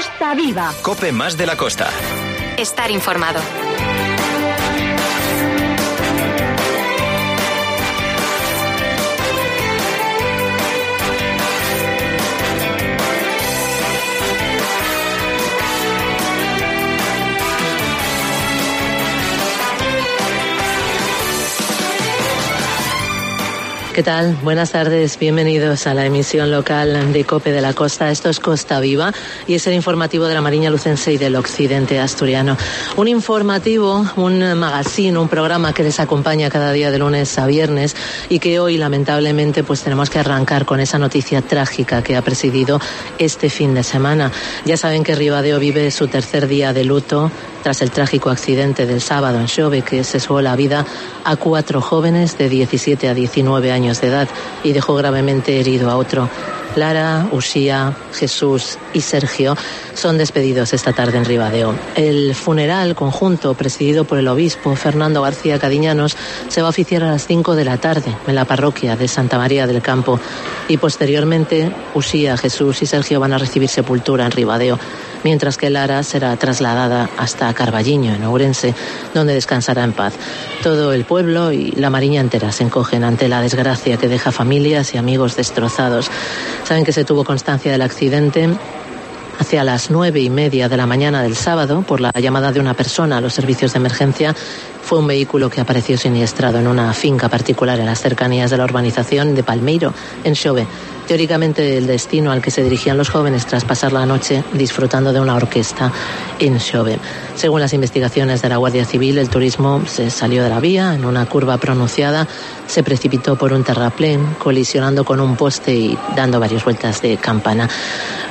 Costa Viva. COPE más de la costa. Estar informado. ¿Qué tal? Buenas tardes, bienvenidos a la emisión local de COPE de la Costa. Esto es Costa Viva y es el informativo de la Mariña Lucense y del occidente asturiano. Un informativo, un magazine, un programa que les acompaña cada día de lunes a viernes y que hoy lamentablemente pues tenemos que arrancar con esa noticia trágica que ha presidido este fin de semana. Ya saben que Ribadeo vive su tercer día de luto tras el trágico accidente del sábado en Xove, que cesó la vida a 4 jóvenes de 17 a 19 años de edad y dejó gravemente herido a otro. Lara, Uxía, Jesús y Sergio son despedidos esta tarde en Ribadeo. El funeral conjunto, presidido por el obispo Fernando García Cadiñanos, se va a oficiar a las 5 de la tarde en la parroquia de Santa María del Campo y posteriormente Uxía, Jesús y Sergio van a recibir sepultura en Ribadeo, mientras que Lara será trasladada hasta Carballiño, en Ourense, donde descansará en paz. Todo el pueblo y la Mariña entera se encogen ante la desgracia que deja familias y amigos destrozados. Saben que se tuvo constancia del accidente hacia las 9:30 de la mañana del sábado por la llamada de una persona a los servicios de emergencia. Fue un vehículo que apareció siniestrado en una finca particular en las cercanías de la urbanización de Palmeiro, en Xove. Teóricamente el destino al que se dirigían los jóvenes tras pasar la noche disfrutando de una orquesta en Xove. Según las investigaciones de la Guardia Civil, el turismo se salió de la vía en una curva pronunciada, se precipitó por un terraplén, colisionando con un poste y dando varias vueltas de campana.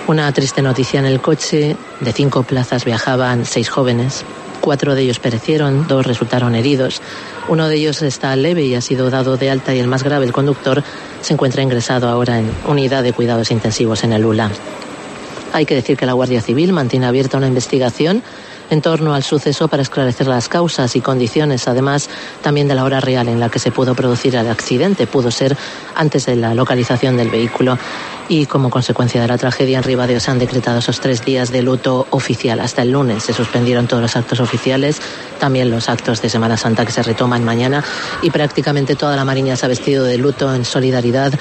Una triste noticia: en el coche de 5 plazas viajaban 6 jóvenes. 4 de ellos perecieron, 2 resultaron heridos. Uno de ellos está leve y ha sido dado de alta y el más grave, el conductor, se encuentra ingresado ahora en unidad de cuidados intensivos en el ULA. Hay que decir que la Guardia Civil mantiene abierta una investigación en torno al suceso para esclarecer las causas y condiciones, además también de la hora real en la que se pudo producir el accidente. Pudo ser antes de la localización del vehículo. Y como consecuencia de la tragedia en Ribadeo se han decretado esos 3 días de luto oficial. Hasta el lunes se suspendieron todos los actos oficiales, también los actos de Semana Santa que se retoman mañana, y prácticamente toda la Mariña se ha vestido de luto en solidaridad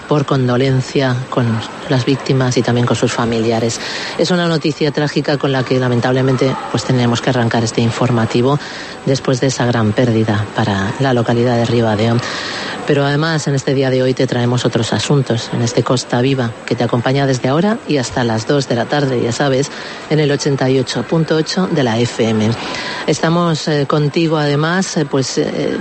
por condolencia con las víctimas y también con sus familiares. Es una noticia trágica con la que lamentablemente pues tenemos que arrancar este informativo después de esa gran pérdida para la localidad de Ribadeo. Pero además en este día de hoy te traemos otros asuntos en este Costa Viva que te acompaña desde ahora y hasta las 2 de la tarde, ya sabes, en el 88.8 de la FM. Estamos contigo además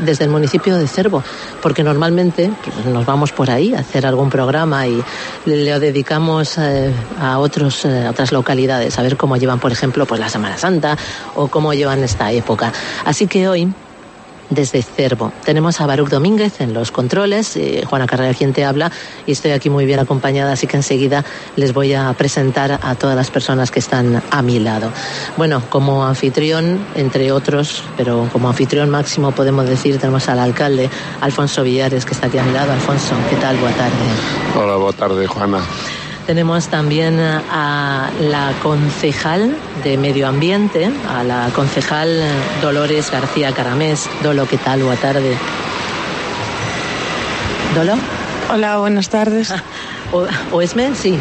desde el municipio de Cervo, porque normalmente nos vamos por ahí a hacer algún programa y le dedicamos a otras localidades, a ver cómo llevan, por ejemplo, pues la Semana Santa o cómo llevan esta época. Así que hoy, desde Cervo, tenemos a Baruch Domínguez en los controles, Juana Carrera quien te habla, y estoy aquí muy bien acompañada, así que enseguida les voy a presentar a todas las personas que están a mi lado. Bueno, como anfitrión, entre otros, pero como anfitrión máximo podemos decir, tenemos al alcalde Alfonso Villares, que está aquí a mi lado. Alfonso, ¿qué tal? Buenas tardes. Hola, buenas tardes, Juana. Tenemos también a la concejal de Medio Ambiente, a la concejal Dolores García Caramés. Dolo, ¿qué tal? Buena tarde. ¿Dolo? Hola, buenas tardes. ¿O esme? Sí.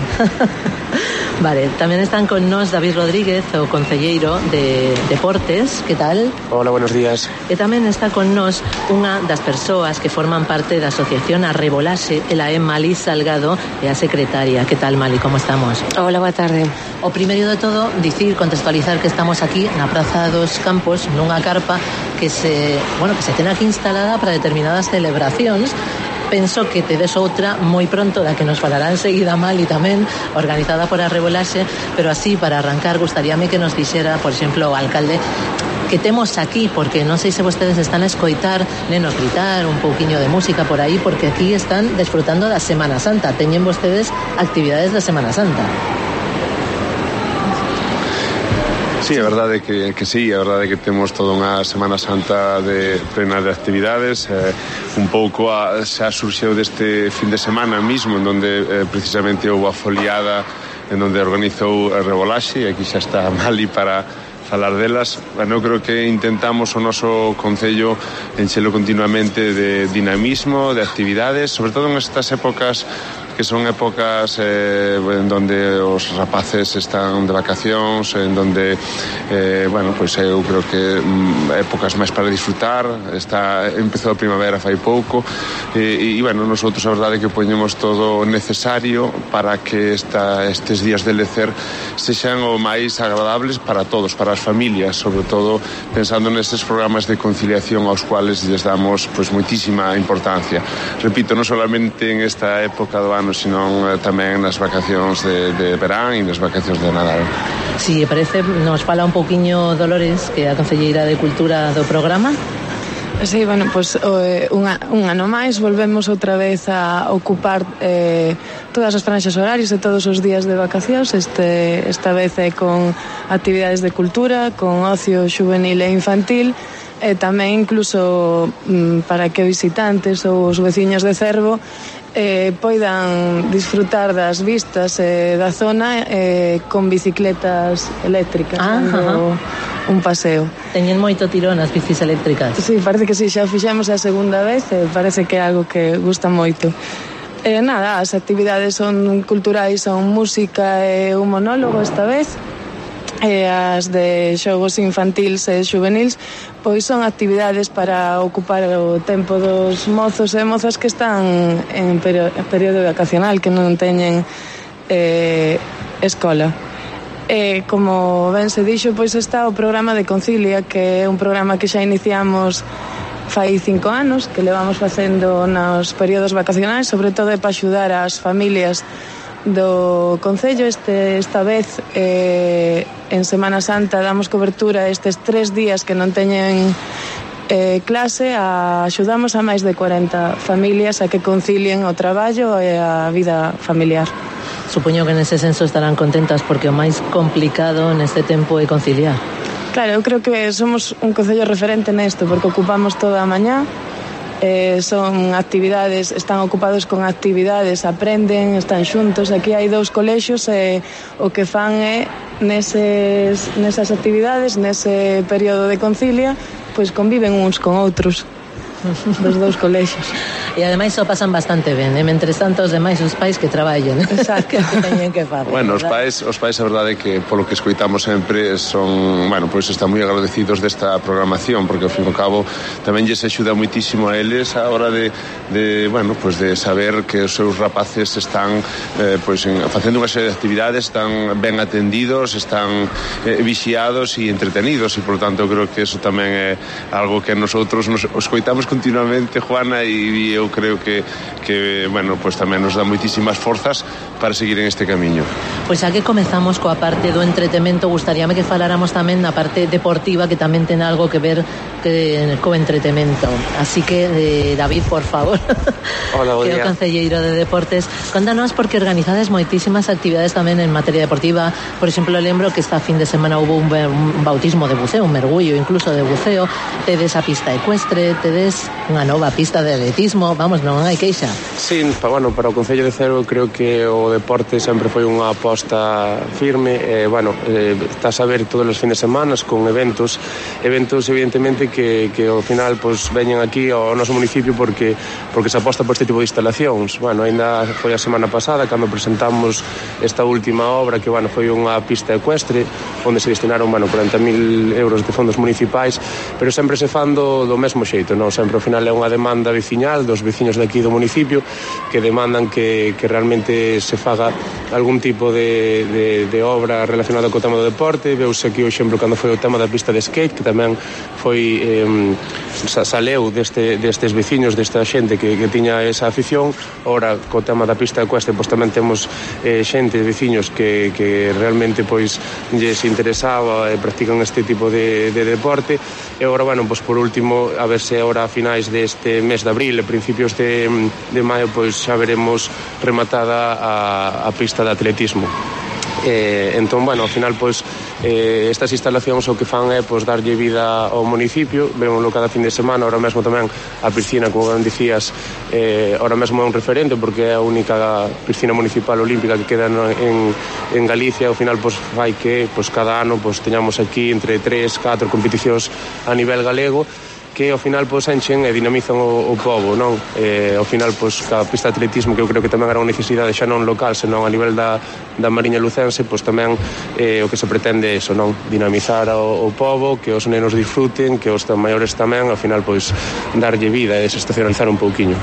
Vale, también están con nos David Rodríguez, o concelleiro de Deportes. ¿Qué tal? Hola, buenos días. E tamén está con nos unha das persoas que forman parte da asociación Arrebolaxe, ela é Mali Salgado, e a secretaria. ¿Qué tal, Mali? ¿Cómo estamos? Hola, boa tarde. O primeiro de todo, contextualizar que estamos aquí na Praza dos Campos, nunha carpa que se ten aquí instalada para determinadas celebracións. Penso que tedes outra moi pronto da que nos falará enseguida Mali tamén, organizada por Arrebolaxe, pero así, para arrancar, gustaríame que nos dixera, por exemplo, o alcalde, que temos aquí, porque non sei se vostedes están a escoitar, nenos gritar un pouquiño de música por aí, porque aquí están desfrutando da Semana Santa, teñen vostedes actividades da Semana Santa. Sí, é verdade que sí, é verdade que temos toda unha Semana Santa plena de actividades, un pouco xa surxeu deste fin de semana mismo, en donde precisamente houve a foliada en onde organizou a Rebolaxe, e aquí xa está Mali para falar delas. Bueno, eu creo que intentamos o noso concello enchelo continuamente de dinamismo, de actividades, sobre todo en estas épocas que son épocas en donde os rapaces están de vacacións, en donde bueno, pois eu creo que épocas máis para disfrutar. Empezou a primavera fai pouco e bueno, nosotros a verdade é que poñemos todo o necesario para que estes días de lecer sexan o máis agradables para todos, para as familias, sobre todo pensando nestes programas de conciliación aos cuales lles damos pois moitísima importancia. Repito, non solamente en esta época do ano, sino tamén nas vacacións de verán e nas vacacións de Nadal. Si parece, nos fala un pouquiño Dolores, que é a concelleira de Cultura do programa. Sí, bueno, pues un ano máis volvemos outra vez a ocupar todas as franxas horarias de todos os días de vacacións. Esta vez é con actividades de cultura, con ocio xuvenil e infantil, e tamén incluso para que visitantes ou os veciños de Cervo poidan disfrutar das vistas da zona con bicicletas eléctricas, dando un paseo. Teñen moito tirón as bicis eléctricas. Sí, parece que sí, xa o fixemos a segunda vez e parece que é algo que gusta moito. Nada, as actividades son culturais, son música e un monólogo esta vez. As de xogos infantils e xuvenils pois son actividades para ocupar o tempo dos mozos e mozas que están en período vacacional, que non teñen escola. Como ben se dixo, pois está o programa de Concilia, que é un programa que xa iniciamos fai 5 anos, que levamos facendo nos períodos vacacionais, sobre todo para axudar as familias do concello. Esta vez en Semana Santa damos cobertura estes 3 días que non teñen clase, axudamos a máis de 40 familias a que concilien o traballo e a vida familiar. Supoño que nese senso estarán contentas porque o máis complicado neste tempo é conciliar. Claro, eu creo que somos un concello referente nesto, porque ocupamos toda a mañá. Son actividades, están ocupados con actividades, aprenden, están xuntos. Aquí hai 2 colexios e o que fan é nesas actividades, nese período de concilia, pois conviven uns con outros dos 2 colexios. E ademais o pasan bastante ben, mentres tanto os demais os pais que traballen. Exacto. Que teñen que facer. Bueno, os pais a verdade é que polo que escoitamos sempre son, bueno, pois están moi agradecidos desta programación, porque ao fin e ao cabo tamén lles axuda muitísimo a eles a hora de bueno, pois de saber que os seus rapaces están pois facendo unha serie de actividades, están ben atendidos, están vixiados e entretenidos, e por tanto creo que eso tamén é algo que nosotros nos escoitamos continuamente, Juana, e eu creo que bueno, pues tamén nos dá moitísimas forzas para seguir en este camiño. Pois xa que comezamos coa parte do entretemento, gustaríame que faláramos tamén na parte deportiva, que tamén ten algo que ver co entretemento. Así que, David, por favor. Hola, que é o concelleiro de Deportes, contanos, porque organizades moitísimas actividades tamén en materia deportiva. Por exemplo, lembro que esta fin de semana hubo un bautismo de buceo, un mergullo incluso de buceo, tedes a pista ecuestre, tedes unha nova pista de atletismo, vamos, non hai queixa. Sí, bueno, para o Concello de Cervo creo que o deporte sempre foi unha aposta firme, bueno, estás a ver todos os fines de semana con eventos evidentemente que ao final pues veñen aquí ao noso municipio porque se aposta por este tipo de instalacións. Bueno, ainda foi a semana pasada cando presentamos esta última obra que, bueno, foi unha pista ecuestre onde se destinaron, bueno, 40.000 euros de fondos municipais, pero sempre se fan do mesmo xeito, non? Sempre ao final é unha demanda veciñal dos veciños de aquí do municipio que demandan que realmente se faga algún tipo de obra relacionada co tema do deporte. Veuse aquí o exemplo cando foi o tema da pista de skate, que tamén foi saleu destes veciños, desta xente que tiña esa afición. Ora, co tema da pista ecuestre, pois tamén temos xente, veciños que realmente pois lles interesaba e practican este tipo de deporte. E agora, bueno, pois por último, a ver se agora a finais deste mes de abril e principios de maio, pois xa veremos rematada a pista de atletismo. Entón, bueno, ao final, pois estas instalacións o que fan é darlle vida ao municipio, vémoslo cada fin de semana. Ahora mesmo tamén a piscina, como ben dicías, ahora mesmo é un referente porque é a única piscina municipal olímpica que queda en Galicia. Ao final fai que cada ano teñamos aquí entre 3-4 competicións a nivel galego que ao final enchen e dinamizan o pobo, non? Ao final ca pista de atletismo, que eu creo que tamén era unha necesidade xa non local, senón a nivel da Mariña Lucense, tamén o que se pretende é iso, non? Dinamizar o pobo, que os nenos disfruten, que os maiores tamén, ao final darlle vida e desestacionalizar un pouquiño.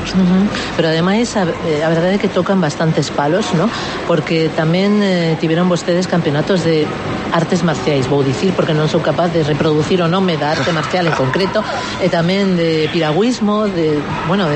Pero ademais a verdade é que tocan bastantes palos, non? Porque tamén tiveron vostedes campeonatos de artes marciais, vou dicir, porque non sou capaz de reproducir o nome da arte marcial en concreto, e tamén de piragüismo, de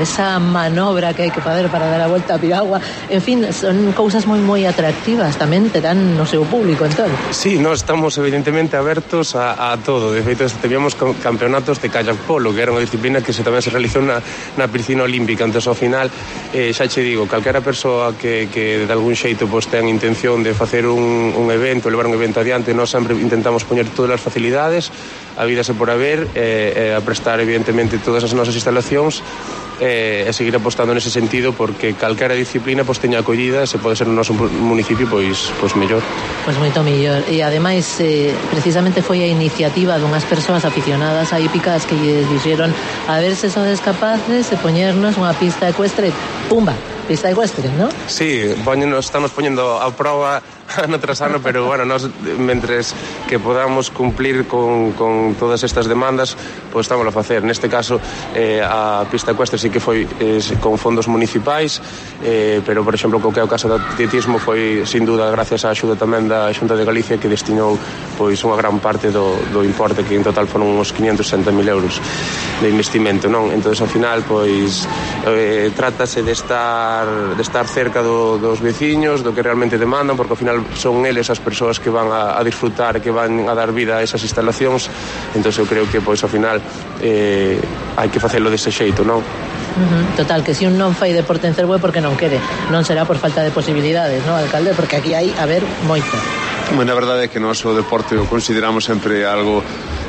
esa manobra que hai que fazer para dar a volta a piragua. En fin, son cousas moi atractivas, tamén te dan no seu público, entón. Sí, nós estamos evidentemente abertos a todo. De feito, teníamos campeonatos de kayak polo, que era unha disciplina que tamén se realizou na piscina olímpica. Entón, ao final, xa che digo, calquera persoa que de algún xeito ten intención de facer un evento, levar un evento adiante, nós sempre intentamos poñer todas as facilidades, a vida se por haber, a prestar evidentemente todas as nosas instalacións e seguir apostando nese sentido, porque calquera disciplina teña acollida e se pode ser no noso municipio mellor. Moito mellor. E ademais precisamente foi a iniciativa dunhas persoas aficionadas a hípicas que lle dixeron a ver se sodes capaces de poñernos unha pista ecuestre, pumba, pista ecuestre, non? Sí, estamos poñendo a prova ano tras ano, pero nós mentres que podamos cumplir con todas estas demandas, estamos a facer. Neste caso, a pista ecuestre sí que foi con fondos municipais, pero, por exemplo, co que é o caso do atletismo foi, sin duda, gracias á axuda tamén da Xunta de Galicia, que destinou unha gran parte do importe, que en total foron uns 560.000 euros de investimento, non? Entón, ao final, trátase de estar cerca dos veciños, do que realmente demandan, porque ao final son eles as persoas que van a disfrutar, que van a dar vida a esas instalacións. Entón eu creo que ao final hai que facelo dese xeito, non? Total, que se un non fai deporte en Cervo é porque non quere, non será por falta de posibilidades, non, alcalde? Porque aquí hai, moito. A verdade é que nós o deporte o consideramos sempre algo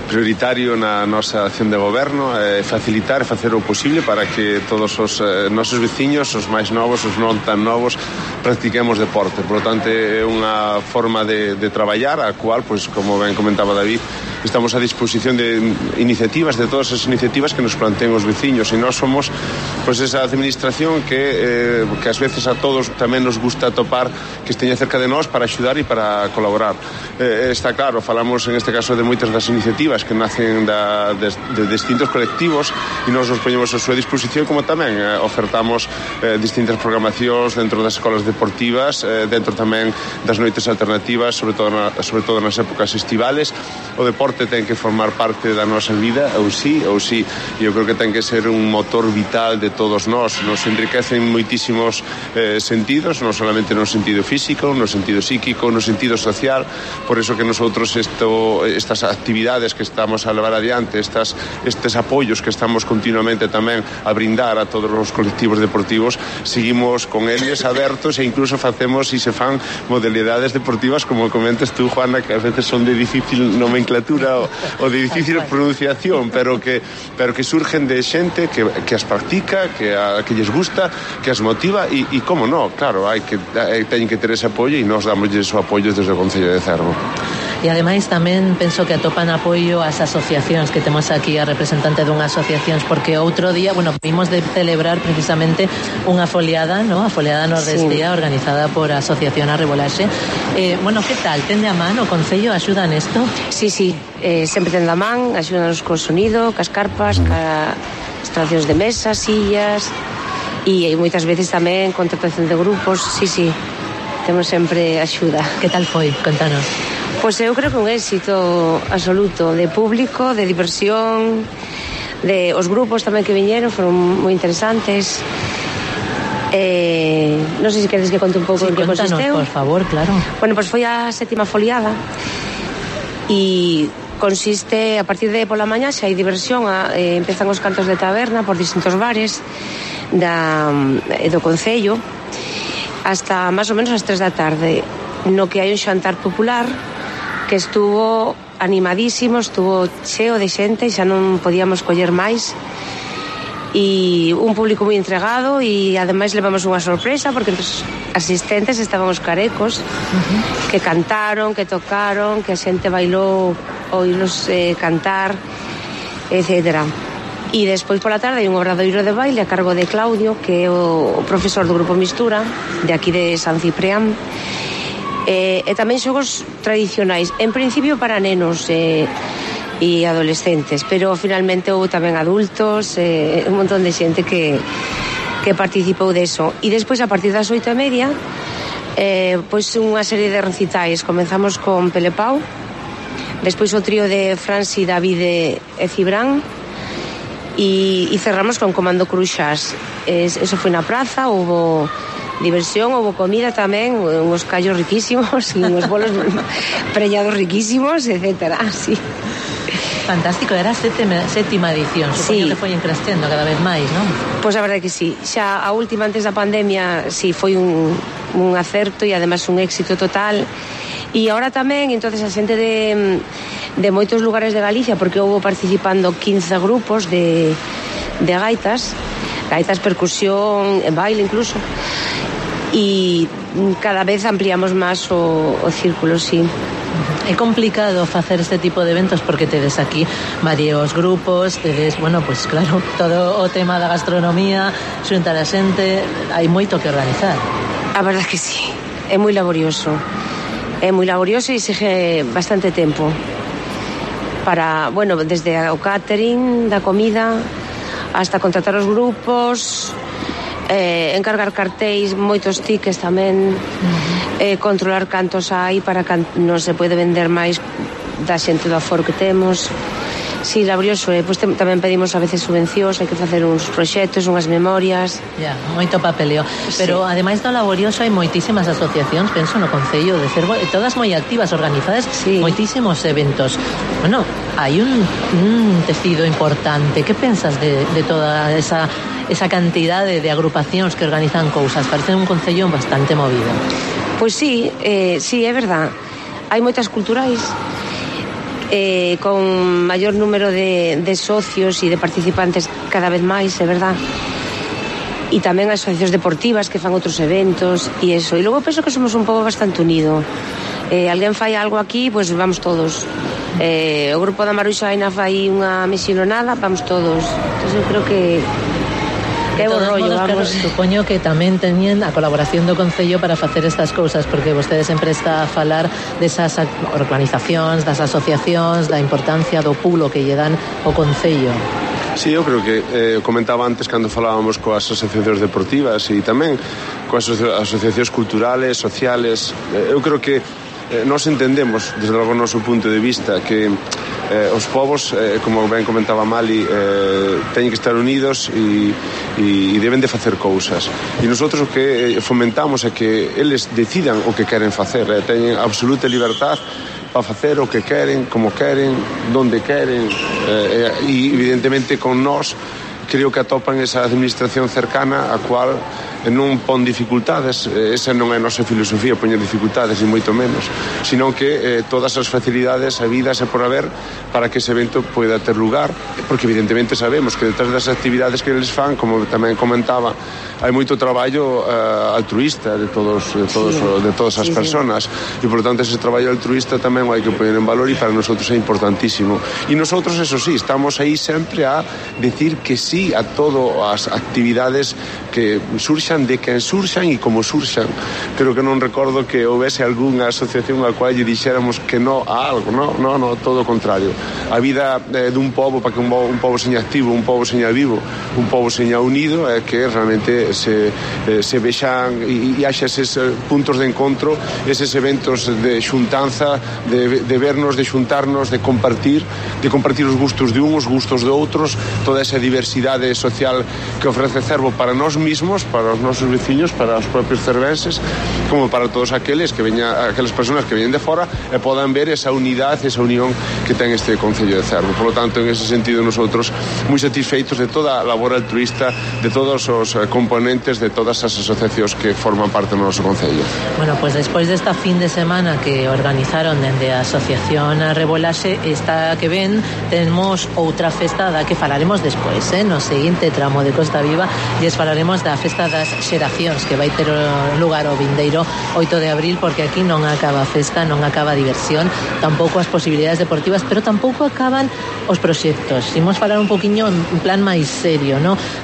prioritario na nosa acción de goberno, facilitar e facer o posible para que todos os nosos veciños, os máis novos, os non tan novos, practiquemos deporte. Por lo tanto, é unha forma de traballar a cual, como ben comentaba David, estamos a disposición de iniciativas, de todas as iniciativas que nos planteen os veciños, e nós somos esa administración que ás veces a todos tamén nos gusta topar que esteña cerca de nós para axudar e para colaborar. Está claro, falamos en este caso de moitas das iniciativas que nacen de distintos colectivos, e nós nos poñemos a súa disposición, como tamén ofertamos distintas programacións dentro das escolas deportivas, dentro tamén das noites alternativas, sobre todo nas épocas estivales. O deporte ten que formar parte da nosa vida, ou sí, e eu creo que ten que ser un motor vital de todos nós. Nos enriquecen moitísimos sentidos, non solamente no sentido físico, no sentido psíquico, no sentido social. Por eso que nosotros estas actividades que estamos a levar adiante, estes apoios que estamos continuamente tamén a brindar a todos os colectivos deportivos, seguimos con eles abertos, e incluso facemos e se fan modalidades deportivas, como comentas tú, Juana, que a veces son de difícil nomenclatura o de difícil pronunciación, pero que surgen de xente que as practica, que lles gusta, que as motiva, e como non, claro, teñen que ter ese apoio, e nós damos ese apoio desde o Concello de Cervo. E ademais tamén penso que atopan apoio ás asociacións, que temos aquí a representante dunha asociacións, porque outro día, vimos de celebrar precisamente unha foliada, ¿no? A foliada nordestía, sí, organizada por a Asociación Arrebolaxe. Que tal? Tende a man o Concello? Axuda nesto? Sí, sempre tende a man, axúdanos co sonido, cas carpas, ca instalacións de mesas, sillas, e moitas veces tamén contratación de grupos, sí, temos sempre axuda. Que tal foi? Contanos. Pois eu creo que un éxito absoluto, de público, de diversión, de os grupos tamén que viñeron foron moi interesantes. Non sei se queres que conte un pouco en que consisteu. Por favor, claro. Foi a 7ª foliada, e consiste, a partir de pola mañá xa hai diversión, empezan os cantos de taberna por distintos bares do Concello hasta máis ou menos as 3 da tarde, no que hai un xantar popular que estuvo animadísimo, estuvo cheo de xente, xa non podíamos coller máis, e un público moi entregado, e ademais levamos unha sorpresa porque os asistentes estaban os carecos, que cantaron, que tocaron, que a xente bailou, oílos cantar, etcétera. E despois pola tarde hai un obradoiro de baile a cargo de Claudio, que é o profesor do Grupo Mistura de aquí de San Ciprián, e tamén xogos tradicionais, en principio para nenos e adolescentes, pero finalmente houve tamén adultos, un montón de xente que participou deso. E despois a partir das 8:30 pois unha serie de recitais. Comenzamos con Pelepau, despois o trío de Franci, David e Cibrán, e cerramos con Comando Cruxas. Eso foi na praza, houve diversión, houve comida tamén, uns callos riquísimos e uns bolos preñados riquísimos, etcétera, sí. Fantástico, era a sétima edición, supoño que foi crescendo cada vez máis, non? Pois a verdade que sí, xa a última antes da pandemia sí foi un acerto e además un éxito total. E agora tamén, entonces a xente de moitos lugares de Galicia, porque houve participando 15 grupos de gaitas, percusión, baile incluso, e cada vez ampliamos máis o círculo, sí. É complicado facer este tipo de eventos porque tedes aquí varios grupos, tedes, bueno, pues claro, todo o tema da gastronomía, xuntar a xente, hai moito que organizar. A verdade que sí, é moi laborioso. É moi laborioso e exige bastante tempo para, bueno, desde o catering da comida hasta contratar os grupos, encargar cartéis, moitos tickets tamén, controlar cantos hai para que non se pode vender máis da xente do aforo que temos. Sí, laborioso, pois tamén pedimos a veces subvencións, hai que facer uns proxectos, unhas memorias. Ya, moito papeleo. Pero sí, ademais do laborioso hai moitísimas asociacións, penso no Concello de Cervo, todas moi activas, organizadas, sí, moitísimos eventos. Bueno, hai un tecido importante. Que pensas de toda esa cantidade de agrupacións que organizan cousas? Parece un concello bastante movido. Pois sí, sí, é verdad. Hai moitas culturais, con maior número de socios e de participantes cada vez máis, é verdad. E tamén asociacións deportivas que fan outros eventos e eso. E logo penso que somos un pobo bastante unido. Alguén fai algo aquí, pois vamos todos. O grupo da Maruxaina fai unha misiononada, vamos todos. Entón eu creo que é bo rollo, vamos. Supoño que tamén teñen a colaboración do Concello para facer estas cousas, porque vostede sempre está a falar desas organizacións, das asociacións, da importancia do pulo que lle dan o Concello. Sí, eu creo que comentaba antes cando falábamos coas asociacións deportivas e tamén coas asociacións culturales, sociales. Eu creo que nós entendemos, desde logo o noso punto de vista, que os povos, como ben comentaba Mali, teñen que estar unidos e deben de facer cousas. E nosotros o que fomentamos é que eles decidan o que queren facer, teñen absoluta libertad para facer o que queren, como queren, donde queren, e evidentemente con nós creo que atopan esa administración cercana a cual non pon dificultades. Esa non é a nosa filosofía, poñer dificultades, ni moito menos, sino que todas as facilidades habidas e por haber para que ese evento poida ter lugar, porque evidentemente sabemos que detrás das actividades que eles fan, como tamén comentaba, hai moito traballo altruista de todas as persoas, e por tanto ese traballo altruista tamén hai que poñer en valor, e para nosotros é importantísimo. E nosotros, eso sí, estamos aí sempre a decir que sí a todas as actividades que surxan, de quen surxan e como surxan. Creo que non recordo que houvese algunha asociación a cual lle dixéramos que no a algo, no, todo o contrario. A vida dun pobo, para que un pobo seña activo, un pobo seña vivo, un pobo seña unido, é que realmente se vexan e haxa eses puntos de encontro, eses eventos de xuntanza, de vernos, de xuntarnos, de compartir os gustos de uns, os gustos de outros, toda esa diversidade utilidade social que ofrece Cervo para nós mismos, para os nosos veciños, para os propios cervenses, como para todos aqueles persoas que veñen de fora e podan ver esa unidade, esa unión que ten este Concello de Cervo. Por lo tanto, en ese sentido, nosotros moi satisfeitos de toda a labor altruista, de todos os componentes, de todas as asociacións que forman parte do noso Concello. Bueno, pues despois desta fin de semana que organizaron dende a Asociación Rebolaxe, esta que ven, temos outra festa da que falaremos despois, no seguinte tramo de Costa Viva, e falaremos da Festa das Xeracións, que vai ter lugar o vindeiro 8 de abril, porque aquí non acaba a festa, non acaba a diversión, tampouco as posibilidades deportivas, pero tampouco acaban os proxectos. Imos falar un poquinho en plan máis serio,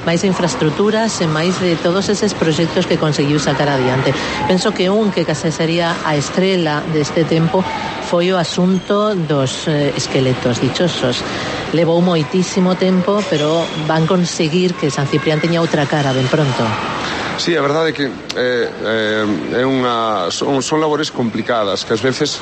máis de infraestructuras e máis de todos eses proxectos que conseguiu sacar adiante. Penso que que case sería a estrela deste tempo foi o asunto dos esqueletos dichosos. Levou moitísimo tempo, pero van conseguir que San Ciprián teña outra cara ben pronto. Sí, a verdade é que son labores complicadas, que ás veces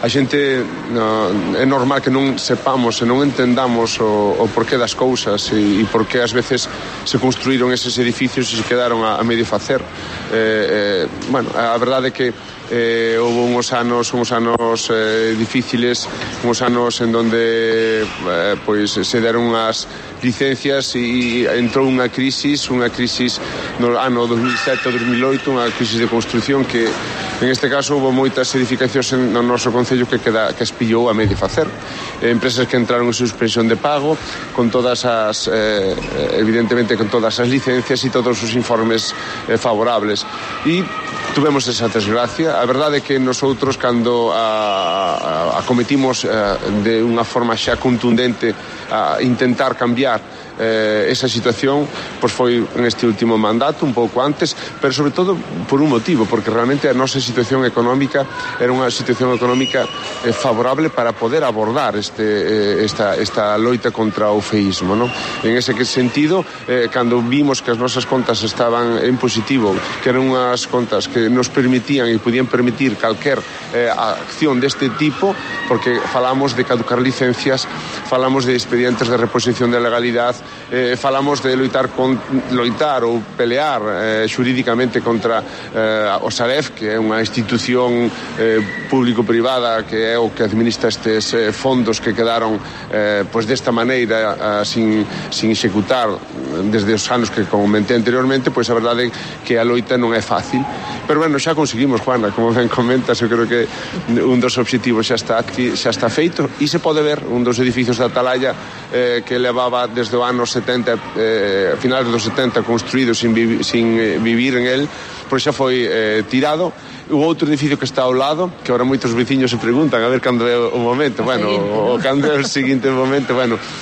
a xente é normal que non sepamos e non entendamos o porqué das cousas e porqué ás veces se construíron eses edificios e se quedaron a medio facer. Bueno, a verdade é que houve uns anos difíciles, uns anos en donde pois se deron unhas licencias e entrou unha crisis no ano 2007-2008, unha crisis de construción que en este caso houve moitas edificacións no noso Concello que espillou a medio facer. Empresas que entraron en suspensión de pago con todas as evidentemente con todas as licencias e todos os informes favorables, e tuvemos esa desgracia. A verdade é que nosotros cando acometimos de unha forma xa contundente a intentar cambiar esa situación, pois foi en este último mandato, un pouco antes, pero sobre todo por un motivo, porque realmente a nosa situación económica era unha situación económica favorable para poder abordar esta loita contra o feísmo, non? En ese sentido, cando vimos que as nosas contas estaban en positivo, que eran unhas contas que nos permitían e podían permitir calquer acción deste tipo, porque falamos de caducar licencias, falamos de expedientes de reposición de legalidade, falamos de loitar ou pelear xurídicamente contra o Saref, que é unha institución público-privada que é o que administra estes fondos que quedaron pois desta maneira sin executar desde os anos que comentei anteriormente. Pois a verdade é que a loita non é fácil, pero bueno, xa conseguimos, Juana, como ben comentas, eu creo que un dos obxectivos xa está feito, e se pode ver un dos edificios da Atalaya que levaba desde o ano 70, finales dos 70 construído sin vivir en él, pois xa foi tirado. O outro edificio que está ao lado, que ahora moitos veciños se preguntan a ver cando é o momento, cando é o seguinte momento,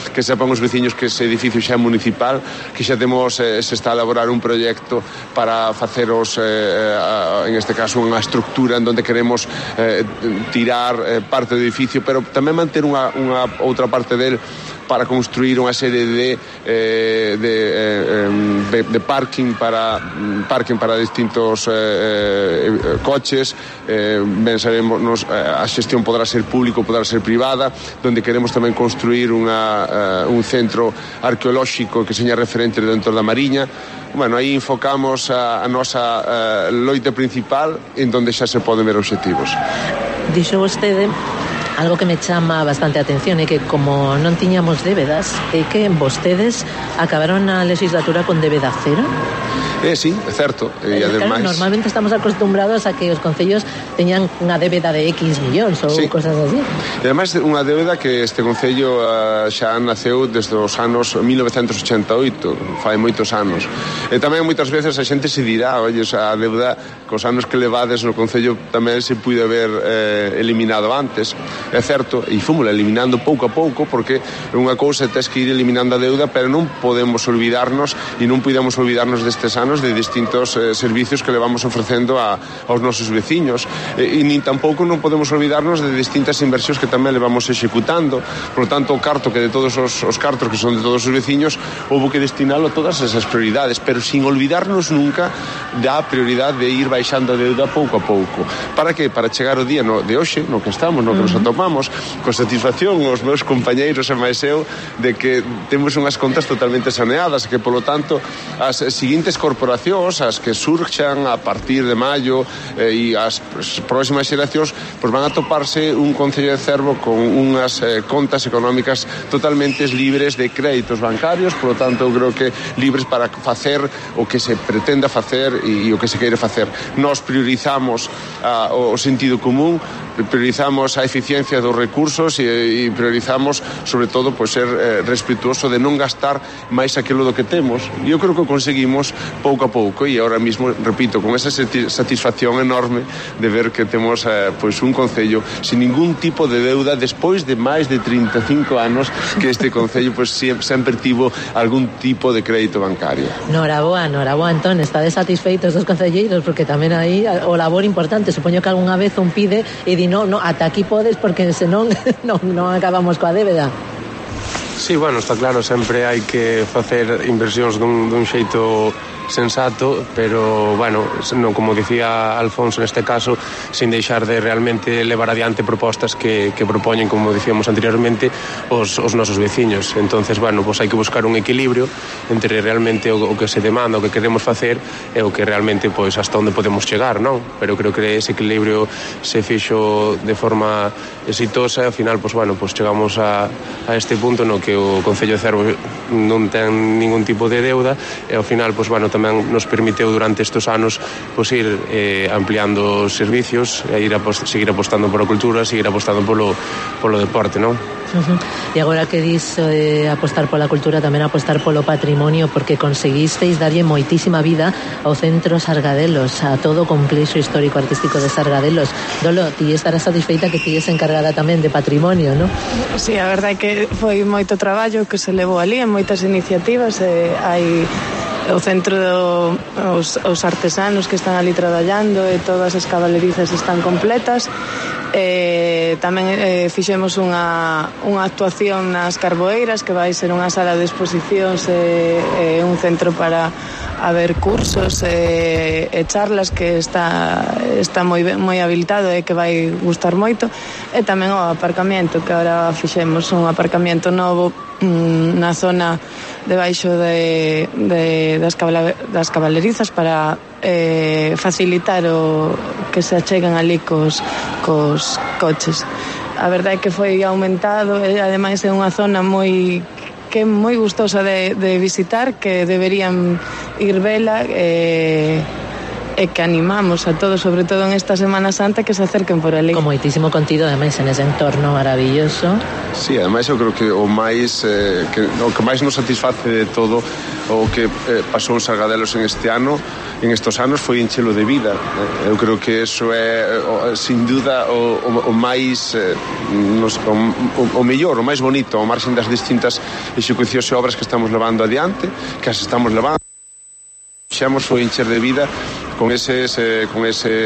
que sepan os veciños que ese edificio xa é municipal, que xa temos, se está a elaborar un proxecto para faceros en este caso unha estructura en donde queremos tirar parte do edificio, pero tamén manter unha outra parte del para construir unha serie de parking para distintos coches. Ben sabemos, a xestión podrá ser público, podrá ser privada, donde queremos tamén construir un centro arqueolóxico que seña referente dentro da Mariña. Bueno, aí enfocamos a nosa loita principal, en donde xa se poden ver obxectivos. Dixo vostede algo que me chama bastante a atención, é que como non tiñamos débedas, é que vostedes acabaron a legislatura con débeda cero. Sí, é certo. E ademais, claro, normalmente estamos acostumbrados a que os concellos teñan unha débeda de X millóns ou cosas así. E ademais unha débeda que este concello xa naceu desde os anos 1988, fai moitos anos. E tamén moitas veces a xente se dirá, oye, a débeda cos anos que levades no concello tamén se puide haber eliminado antes. É certo, e fomos eliminando pouco a pouco, porque unha cousa tes que ir eliminando a deuda, pero non podemos olvidarnos e non podemos olvidarnos destes anos de distintos servicios que le vamos ofrecendo aos nosos veciños, e nin tampouco non podemos olvidarnos de distintas inversións que tamén le vamos executando. Por lo tanto, o carto que de todos os cartos que son de todos os veciños houve que destinalo a todas esas prioridades, pero sin olvidarnos nunca da prioridade de ir baixando a deuda pouco a pouco. Para que? Para chegar o día de hoxe, no que estamos, no que nos atopamos informamos con satisfacción os meus compañeiros e máis eu de que temos unhas contas totalmente saneadas, que polo tanto as seguintes corporacións, as que surxan a partir de maio e as próximas xeracións, pois van a toparse un Concello de Cervo con unhas contas económicas totalmente libres de créditos bancarios, polo tanto eu creo que libres para facer o que se pretenda facer e o que se queire facer. Nós priorizamos o sentido común, priorizamos a eficiencia dos recursos e priorizamos, sobre todo, pois ser respetuoso de non gastar máis aquilo do que temos. E eu creo que o conseguimos pouco a pouco e ahora mismo, repito, con esa satisfacción enorme de ver que temos pois un concello sin ningún tipo de deuda despois de máis de 35 anos que este concello pois sempre tivo algún tipo de crédito bancario. Noraboa, Antón, estades satisfeitos dos concelleiros porque tamén aí o labor importante, supoño que algunha vez un pide e di no, ata aquí podes porque senón non acabamos coa débeda. Sí, bueno, está claro, sempre hai que facer inversións dun xeito sensato, pero, bueno, non, como dicía Alfonso neste caso, sin deixar de realmente levar adiante propostas que propoñen, como dicíamos anteriormente, os nosos veciños. Entonces, bueno, pues hai que buscar un equilibrio entre realmente o que se demanda, o que queremos facer e o que realmente, pois, hasta onde podemos chegar, non? Pero creo que ese equilibrio se fixo de forma exitosa e ao final, pues, bueno, pues chegamos a este punto no que o Concello de Cervo non ten ningún tipo de deuda e ao final, pues, bueno, tamén nos permiteu durante estes anos pues, ir ampliando os servicios e seguir apostando pola cultura, seguir apostando polo deporte, non? E agora que dis apostar pola cultura, tamén apostar polo patrimonio, porque conseguisteis darlle moitísima vida ao Centro Sargadelos, a todo o complexo histórico artístico de Sargadelos. Dolo, ti estarás satisfeita que ti es encargada tamén de patrimonio, non? Sí, a verdade é que foi moito traballo que se levou ali, en moitas iniciativas, hai o centro os artesanos que están ali traballando e todas as cabalerizas están completas. Tamén fixemos unha actuación nas Carboeiras, que vai ser unha sala de exposicións e un centro para haber cursos e charlas que está moi habilitado e que vai gustar moito. E tamén o aparcamiento, que agora fixemos un aparcamiento novo na zona debaixo das cabalerizas para facilitar o que se acheguen ali cos coches. A verdade é que foi aumentado e ademais é unha zona moi gustosa de visitar, que deberían ir vela e que animamos a todos, sobre todo en esta Semana Santa, que se acerquen por ali. Con moitísimo contido, ademais, en ese entorno maravilloso. Sí, ademais eu creo que o que máis nos satisface de todo o que pasou en Sargadelos en estes anos foi enchelo de vida. Eu creo que eso é sin duda o máis o mellor, o máis bonito, ao marxen das distintas execucións e obras que estamos levando adiante, que as estamos levando. Xamos foi encher de vida con ese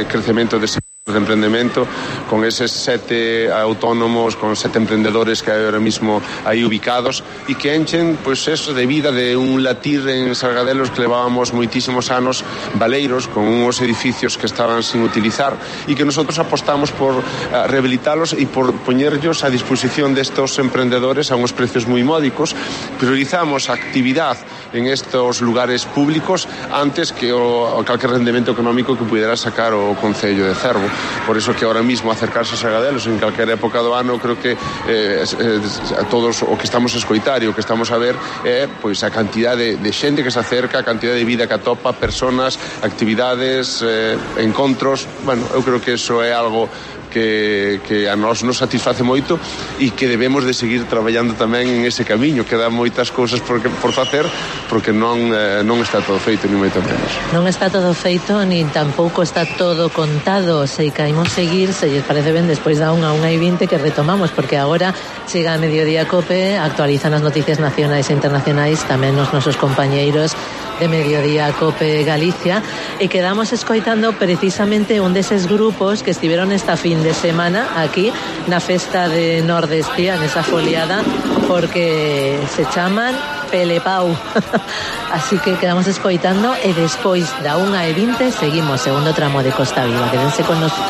crecemento de emprendemento, con eses 7 autónomos, con 7 emprendedores que hai ahora mismo aí ubicados e que enchen, pois, eso de vida de un latir en Sargadelos que levábamos moitísimos anos baleiros con uns edificios que estaban sin utilizar e que nosotros apostamos por rehabilitalos e por poñerlos a disposición destos emprendedores a uns precios moi módicos. Priorizamos a actividade en estos lugares públicos antes que o calquer rendemento económico que pudera sacar o Concello de Cervo. Por eso que ahora mismo acercarse a Sargadelos en calquer época do ano, creo que a todos o que estamos a escoitar e o que estamos a ver é pois a cantidade de xente que se acerca, a cantidade de vida que atopa, personas, actividades, encontros. Bueno, eu creo que eso é algo que a nós nos satisface moito e que debemos de seguir traballando tamén en ese camiño. Quedan moitas cousas por facer, porque non está todo feito, ni moito menos. Non está todo feito, ni tampouco está todo contado. Se caímos seguir, se lles parece ben, despois da 1:20 que retomamos, porque agora chega a Mediodía Cope, actualizan as noticias nacionais e internacionais, tamén os nosos compañeiros de Mediodía Cope Galicia, e quedamos escoitando precisamente un deses grupos que estiveron esta fin de semana aquí na festa de Nordestía, nesa foliada, porque se chaman Pelepau. Así que quedamos escoitando e despois da 1:20 seguimos segundo tramo de Costa Viva. Quédense con nosotros.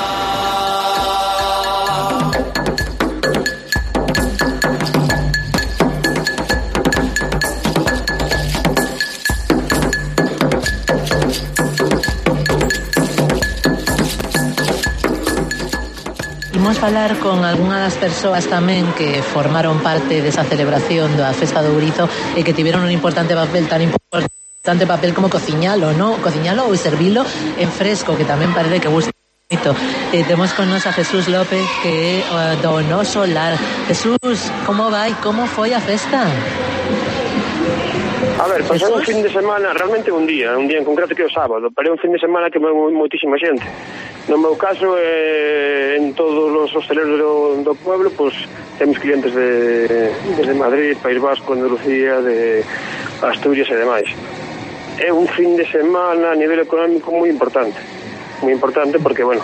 Imos falar con algunha das persoas tamén que formaron parte desa celebración da Festa do Ourizo e que tiveron un importante papel, tan importante papel como cociñalo, ¿no? Cociñalo ou servilo en fresco, que tamén parece que gusta. Temos con nos a Jesús López, que é do noso lar. Jesús, como vai? Como foi a festa? A ver, pasou un fin de semana, realmente un día en concreto que é o sábado, pero é un fin de semana que moi moitísima xente. No meu caso, en todos os hosteleros do pueblo, pois temos clientes desde Madrid, País Vasco, Andalucía, de Asturias e demais. É un fin de semana a nivel económico moi importante porque, bueno,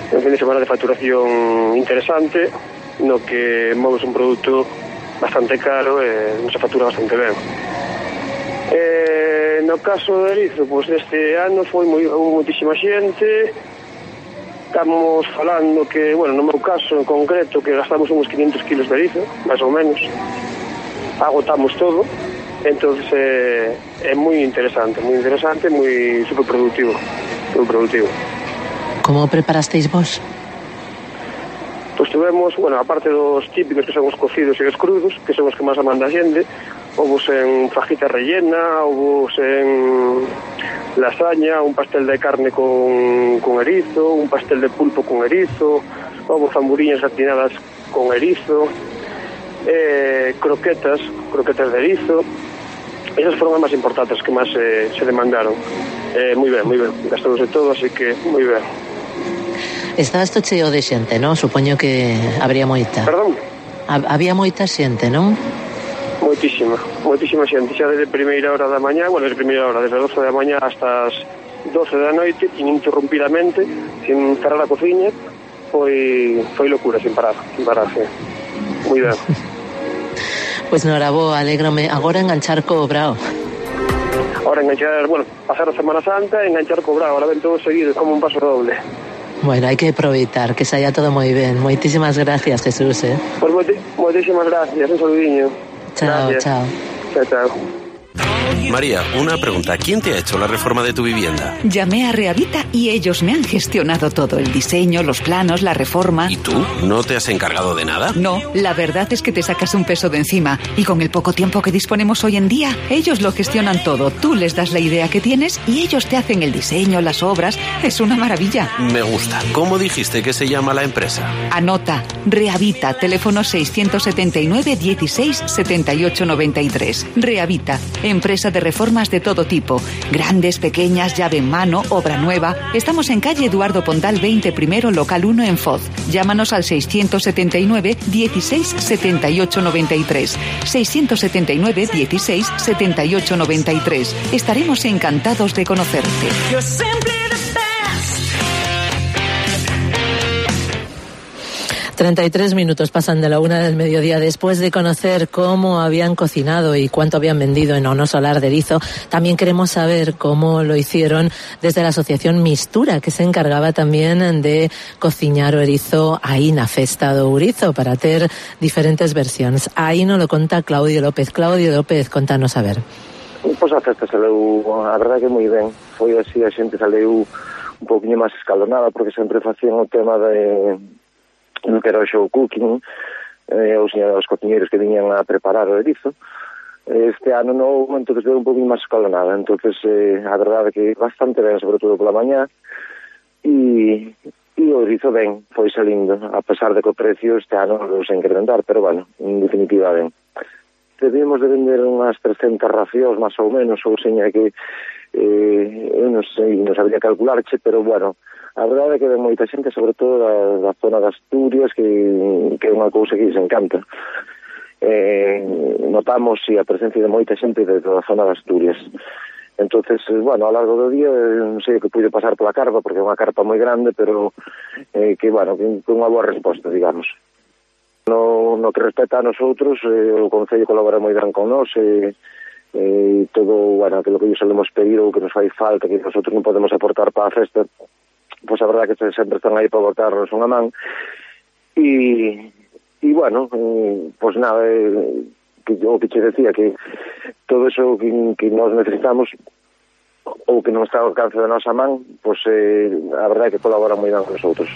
é un fin de semana de facturación interesante, no que moves un produto bastante caro e non se factura bastante ben. No caso de Erizo, pois este ano foi moitísima xente. Estamos falando que, bueno, no meu caso en concreto, que gastamos uns 500 kilos de erizo, máis ou menos. Agotamos todo. Entonces é moi interesante, moi super productivo. Como preparasteis vos? Pois tuvemos, bueno, aparte dos típicos que son os cocidos e os crudos, que son os que máis amanda a xente, houve en fajita rellena, houve en lasaña, un pastel de carne con erizo, un pastel de pulpo con erizo, houve zamburiñas gratinadas con erizo, croquetas de erizo. Esas foron as máis importantes que máis se demandaron. Moi ben, gastouse todo, así que moi ben. Estaba isto cheo de xente, non? Supoño que habría moita. Perdón? Había moita xente, non? Moitísima xente, xa desde primeira hora da mañá, bueno, desde as 12 da mañá hasta as 12 da noite, ininterrumpidamente, sin cerrar a cociña, foi locura, sin parar, moi ben. Pois norabo, alégrome. Agora enganchar co Brao. Ahora enganchar, bueno, pasar a Semana Santa e enganchar co Brao, ahora ven todo seguido, como un paso doble. Bueno, hai que aproveitar, que saia todo moi ben. Moitísimas gracias, Jesús, Pues moitísimas gracias, un saludiño. Chao, gracias. Chao. María, una pregunta. ¿Quién te ha hecho la reforma de tu vivienda? Llamé a Rehavita y ellos me han gestionado todo. El diseño, los planos, la reforma. ¿Y tú? ¿No te has encargado de nada? No, la verdad es que te sacas un peso de encima. Y con el poco tiempo que disponemos hoy en día, ellos lo gestionan todo. Tú les das la idea que tienes y ellos te hacen el diseño, las obras. Es una maravilla. Me gusta. ¿Cómo dijiste que se llama la empresa? Anota. Rehavita, teléfono 679 16 78 93. Rehavita, empresa de reformas de todo tipo, grandes, pequeñas, llave en mano, obra nueva. Estamos en calle Eduardo Pondal 20 primero, local 1 en Foz. Llámanos al 679 16 78 93. 679 16 78 93. Estaremos encantados de conocerte. 33 minutos pasan de la 1 del mediodía. Después de conocer cómo habían cocinado y cuánto habían vendido en Ono Solar de Erizo, también queremos saber cómo lo hicieron desde la asociación Mistura, que se encargaba también de cociñar o erizo aí na Festa do Ourizo para ter diferentes versións. Aí nos lo conta Claudio López. Claudio López, contanos a ver. Pois a festa saleu, a verdade que moi ben. Foi así, a xente saleu un poquinho máis escalonada, porque sempre facían o tema de que era o show cooking, os cociñeiros que viñan a preparar o erizo. Este ano non, entonces veio un poquinho máis escalonada, entonces a verdade que bastante ben, sobre todo pola mañá, e o erizo ben, foi salindo, a pesar de que o precio este ano non se incrementar, pero bueno, en definitiva ben. Debíamos de vender unhas 300 racións, máis ou menos, ou seña que eu non sei, non sabría calcularche, pero bueno, a verdade é que ven moita xente, sobre todo da zona de Asturias, que é unha cousa que se encanta. Notamos a presencia de moita xente de toda a zona de Asturias. Entonces, bueno, ao largo do día, non sei o que pude pasar pola carpa, porque é unha carpa moi grande, pero que, bueno, que unha boa resposta, digamos. No que respecta a nosotros, o Concello colabora moi ben con nós, todo, bueno, aquilo que ellos solemos pedir ou que nos fai falta, que nosotros non podemos aportar para a festa, pois a verdade que sempre están aí para botarnos unha man. E bueno, pois nada, o que che decía, que todo eso que nós necesitamos ou que non está ao alcance da nosa man, pois a verdade que colabora moi ben con nosotros.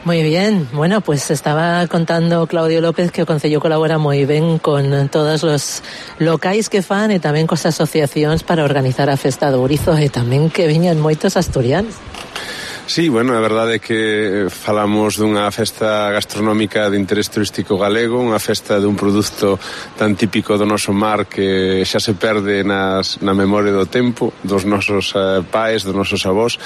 Moi bien, bueno, pues estaba contando Claudio López que o Concello colabora moi ben con todos os locais que fan e tamén cos asociacións para organizar a Festa do Ourizo e tamén que viñan moitos asturianos. Sí, bueno, a verdade é que falamos dunha festa gastronómica de interés turístico galego, unha festa dun produto tan típico do noso mar que xa se perde na memoria do tempo, dos nosos pais, dos nosos avós,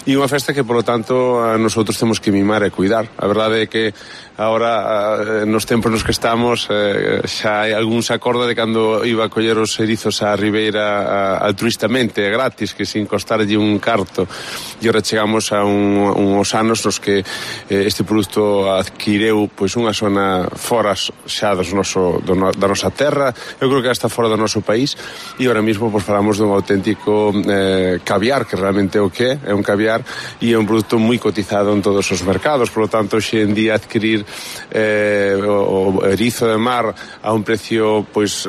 e unha festa que, polo tanto, nosotros temos que mimar e cuidar. A verdade é que agora, nos tempos nos que estamos, xa hai algún se acorda de cando iba a coller os erizos á ribeira altruistamente, gratis, que sin costarlle un carto, e ora chegamos a uns anos nos que este produto adquireu pois unha zona fora xa da nosa terra, eu creo que hasta fora do noso país, e ahora mismo pois falamos dun auténtico caviar, que realmente é o que é un caviar, e é un produto moi cotizado en todos os mercados, por lo tanto, hoxe en día adquirir o erizo de mar a un precio pois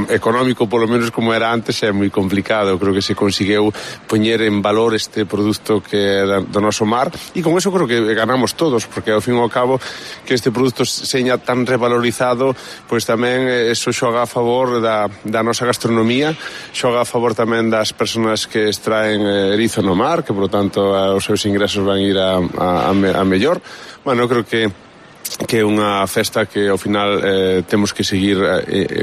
económico, polo menos como era antes, é moi complicado. Eu creo que se conseguiu poñer en valor este produto que é do noso mar, e con eso creo que ganamos todos, porque ao fin e ao cabo que este produto seña tan revalorizado, pois tamén eso xoga a favor da nosa gastronomía, xoga a favor tamén das persoas que extraen erizo no mar, que por lo tanto os seus ingresos van ir a mellor. Bueno, eu creo que é unha festa que ao final temos que seguir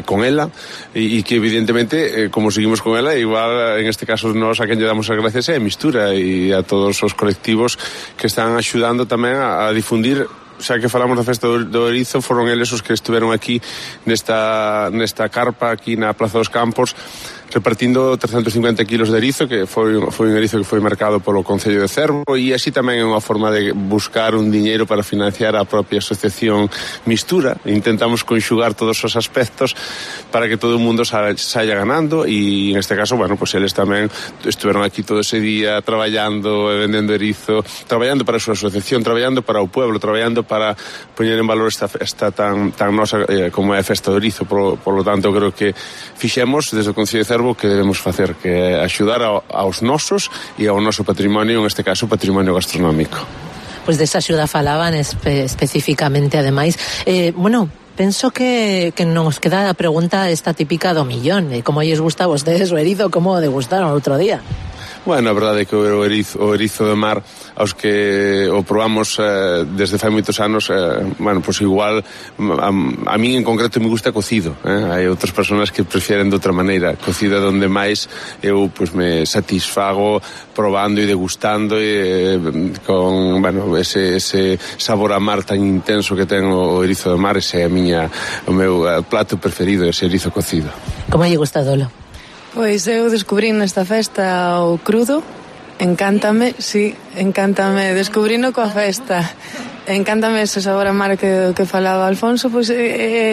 con ela, e que evidentemente como seguimos con ela, igual en este caso nós a quen lle damos as gracias é a Mistura e a todos os colectivos que están axudando tamén a difundir. Xa que falamos da festa do erizo, foron eles os que estiveron aquí nesta carpa aquí na Plaza dos Campos repartindo 350 kilos de erizo, que foi un erizo que foi marcado polo Concello de Cervo, e así tamén é unha forma de buscar un diñeiro para financiar a propia asociación Mistura. Intentamos conxugar todos os aspectos para que todo o mundo saia ganando, e en este caso, bueno, pues eles tamén estiveron aquí todo ese día traballando, vendendo erizo, traballando para a súa asociación, traballando para o pueblo, traballando para poñer en valor esta festa tan nosa como é a festa do erizo. Por lo tanto, creo que fixemos desde o Concello de Cervo que debemos facer, que é axudar aos nosos e ao noso patrimonio, en este caso patrimonio gastronómico. Pois desa axuda falaban especificamente, ademais. Bueno, penso que nos queda a pregunta esta típica do millón, como lles gusta a vostedes o erizo, como o degustaron outro día? Bueno, a verdade é que o erizo do mar, aos que o probamos desde fai moitos anos, bueno, pois igual a mí en concreto me gusta cocido, hai outras persoas que prefieren de outra maneira, cocida, donde máis eu pois me satisfago probando e degustando con, bueno, ese sabor a mar tan intenso que ten o erizo do mar. Ese é o meu plato preferido, ese erizo cocido. Como lle gusta, Dolo? Pois eu descubrí nesta festa o crudo, encántame, descubrino coa festa, encántame ese sabor a mar que falaba Alfonso, pois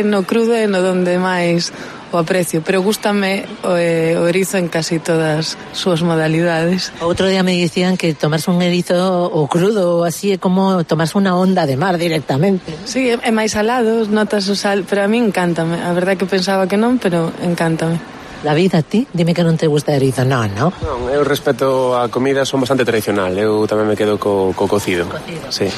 no crudo é no donde máis o aprecio, pero gústame o erizo en casi todas súas modalidades. Outro día me dicían que tomarse un erizo o crudo ou así é como tomarse unha onda de mar directamente. Sí, é máis salado, notas o sal, pero a mí encántame, a verdade que pensaba que non, pero encántame. David, a ti? Dime que non te gusta erizo. Non, eu respeto a comida, son bastante tradicional. Eu tamén me quedo co cocido. Sí.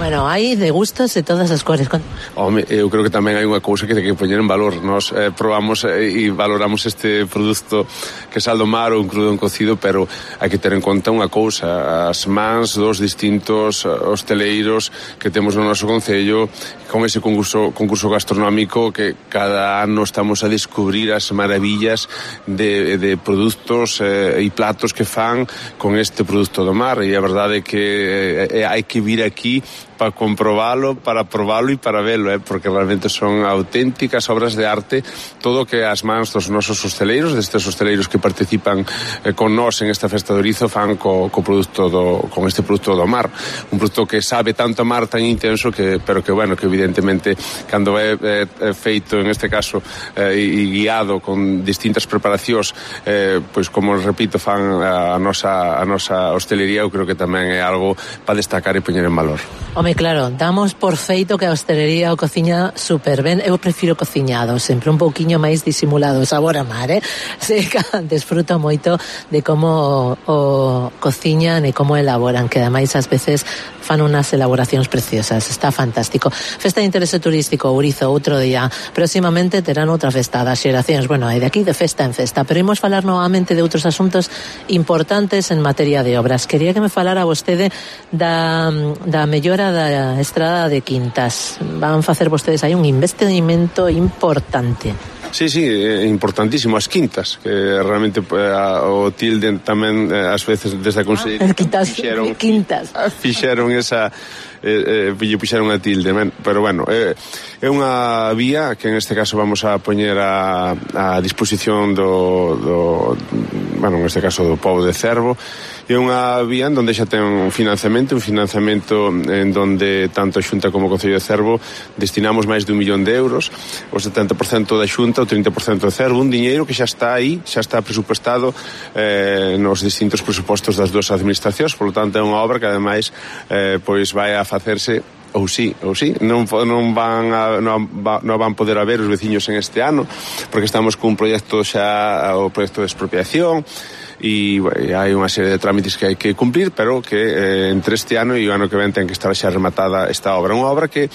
Bueno, hai de gustos de todas as cores. Home, eu creo que tamén hai unha cousa que ten que poñer en valor. Nós probamos e valoramos este produto que sal do mar ou un crudo en cocido, pero hai que ter en conta unha cousa. As mans dos distintos hosteleiros que temos no noso concello, con ese concurso gastronómico que cada ano estamos a descubrir as maravillas de produtos e platos que fan con este produto do mar, e a verdade é que hai que vir aquí para comprobalo, para probalo e para velo, porque realmente son auténticas obras de arte todo o que as mans dos nosos hosteleiros, destes hosteleiros que participan con nós en esta festa do erizo, fan con este produto do mar, un produto que sabe tanto a mar, tan intenso, pero que bueno, que evidentemente cando é feito en este caso e guiado con distintas preparacións, pois como repito, fan a nosa hostelería, eu creo que tamén é algo para destacar e poñer en valor. Home, claro, damos por feito que a hostelería o cociña super ben. Eu prefiro cociñado, sempre un pouquiño máis disimulado, sabor a mar, desfruto moito de como o cociñan e como elaboran, que ademais ás veces fan unas elaboracións preciosas. Está fantástico. Festa de interese turístico, Ourizo, outro día. Próximamente terán outra festa das xeracións. Bueno, é de aquí de festa en festa, pero imos falar novamente de outros asuntos importantes en materia de obras. Quería que me falara vostede da mellora da estrada de Quintas. Van facer vostedes aí un investimento importante. Sí, é importantísimo as Quintas, que realmente o tilden tamén ás veces desde a Consellería fixeron esa puxeron a tilde, pero bueno, é unha vía que en este caso vamos a poñer a disposición do bueno, en este caso do pobo de Cervo. É unha vía en donde xa ten un financiamento en donde tanto a Xunta como o Concello de Cervo destinamos máis de 1 millón de euros, o 70% da Xunta, o 30% de Cervo, un diñeiro que xa está aí, xa está presupuestado nos distintos presupostos das dúas administracións, por lo tanto é unha obra que ademais pois vai a facerse ou sí, non van poder haber os veciños en este ano, porque estamos cun proxecto xa, o proxecto de expropiación, e hai unha serie de trámites que hai que cumplir, pero que entre este ano e o ano que ven ten que estar xa rematada esta obra. Unha obra que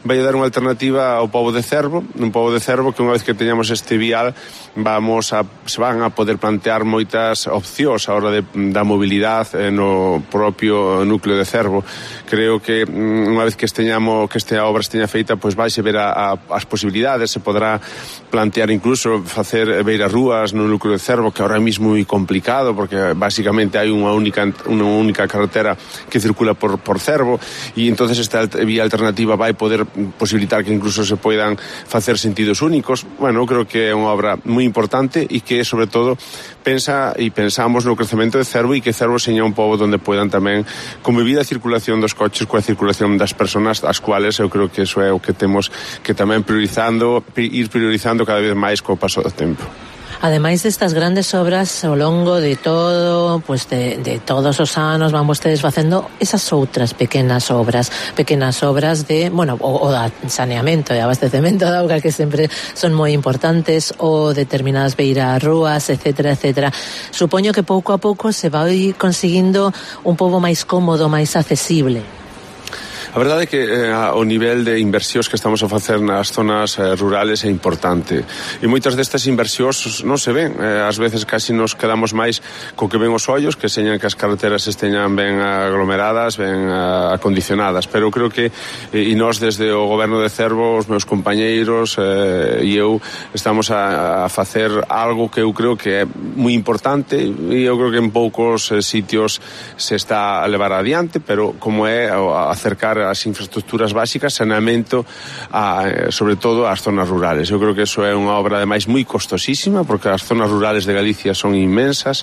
vai a dar unha alternativa ao pobo de Cervo, un pobo de Cervo que unha vez que teñamos este vial se van a poder plantear moitas opcións a hora da mobilidade no propio núcleo de Cervo. Creo que unha vez que esta obra esteña feita, pois vai se ver as posibilidades, se podrá plantear incluso facer beiras rúas no núcleo de Cervo, que ahora mismo é moi complicado porque basicamente hai unha única carretera que circula por Cervo, e entonces esta vía alternativa vai poder posibilitar que incluso se poidan facer sentidos únicos. Bueno, creo que é unha obra moi importante e que, sobre todo, pensamos no crecemento de Cervo, e que Cervo seña un pobo onde poidan tamén convivir a circulación dos coches coa circulación das persoas, as cuales eu creo que eso é o que temos que tamén ir priorizando cada vez máis co paso do tempo. Ademais destas grandes obras ao longo de todo, pues de todos os anos van vostedes facendo esas outras pequenas obras de, bueno, o da saneamento e abastecemento da auga, que sempre son moi importantes, ou determinadas beiras rúas, etcétera. Supoño que pouco a pouco se vai conseguindo un pobo máis cómodo, máis accesible. A verdade é que o nivel de inversións que estamos a facer nas zonas rurales é importante, e moitas destas inversións non se ven, ás veces casi nos quedamos máis co que ven os ollos, que señan que as carreteras esteñan ben aglomeradas, ben acondicionadas, pero creo que e nós desde o goberno de Cervo, os meus compañeiros e eu estamos a facer algo que eu creo que é moi importante, e eu creo que en poucos sitios se está a levar adiante, pero como é acercar as infraestructuras básicas, saneamento sobre todo ás zonas rurales. Eu creo que eso é unha obra ademais moi costosísima, porque as zonas rurales de Galicia son inmensas,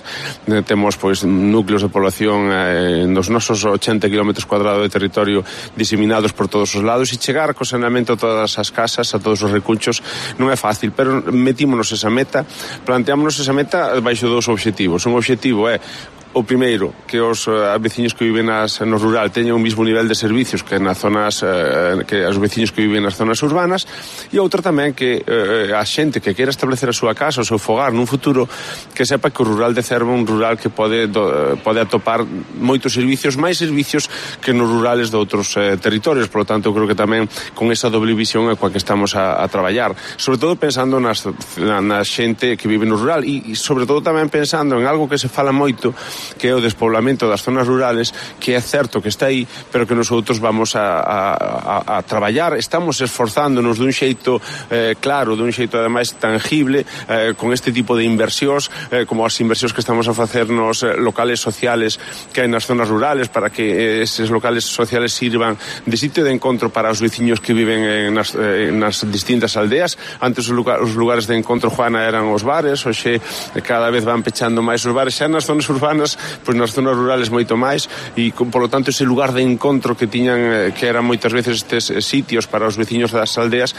temos pois núcleos de población nos nosos 80 km cuadrados de territorio diseminados por todos os lados, e chegar co saneamento a todas as casas, a todos os recunchos, non é fácil, pero metímonos esa meta, planteámonos esa meta baixo dos obxectivos. Un obxectivo é o primeiro, que os veciños que viven no rural teñan o mismo nivel de servicios que nas zonas que os veciños que viven nas zonas urbanas, e outro tamén que a xente que queira establecer a súa casa, o seu fogar nun futuro, que sepa que o rural de Cervo é un rural que pode atopar moitos servicios, máis servicios que nos rurales de outros territorios. Por lo tanto, eu creo que tamén con esa doble visión é coa que estamos a traballar, sobre todo pensando na xente que vive no rural, e sobre todo tamén pensando en algo que se fala moito, que é o despoblamento das zonas rurales, que é certo que está aí, pero que nosotros vamos a traballar, estamos esforzándonos dun xeito claro, dun xeito ademais tangible, con este tipo de inversións, como as inversións que estamos a facer nos locales sociales que hai nas zonas rurales, para que eses locales sociales sirvan de sitio de encontro para os veciños que viven nas distintas aldeas. Antes os lugares de encontro, Juana, eran os bares, hoxe cada vez van pechando máis os bares, xa nas zonas urbanas urbanas, pois nas zonas rurales moito máis, e polo tanto ese lugar de encontro que tiñan, que eran moitas veces estes sitios para os veciños das aldeas,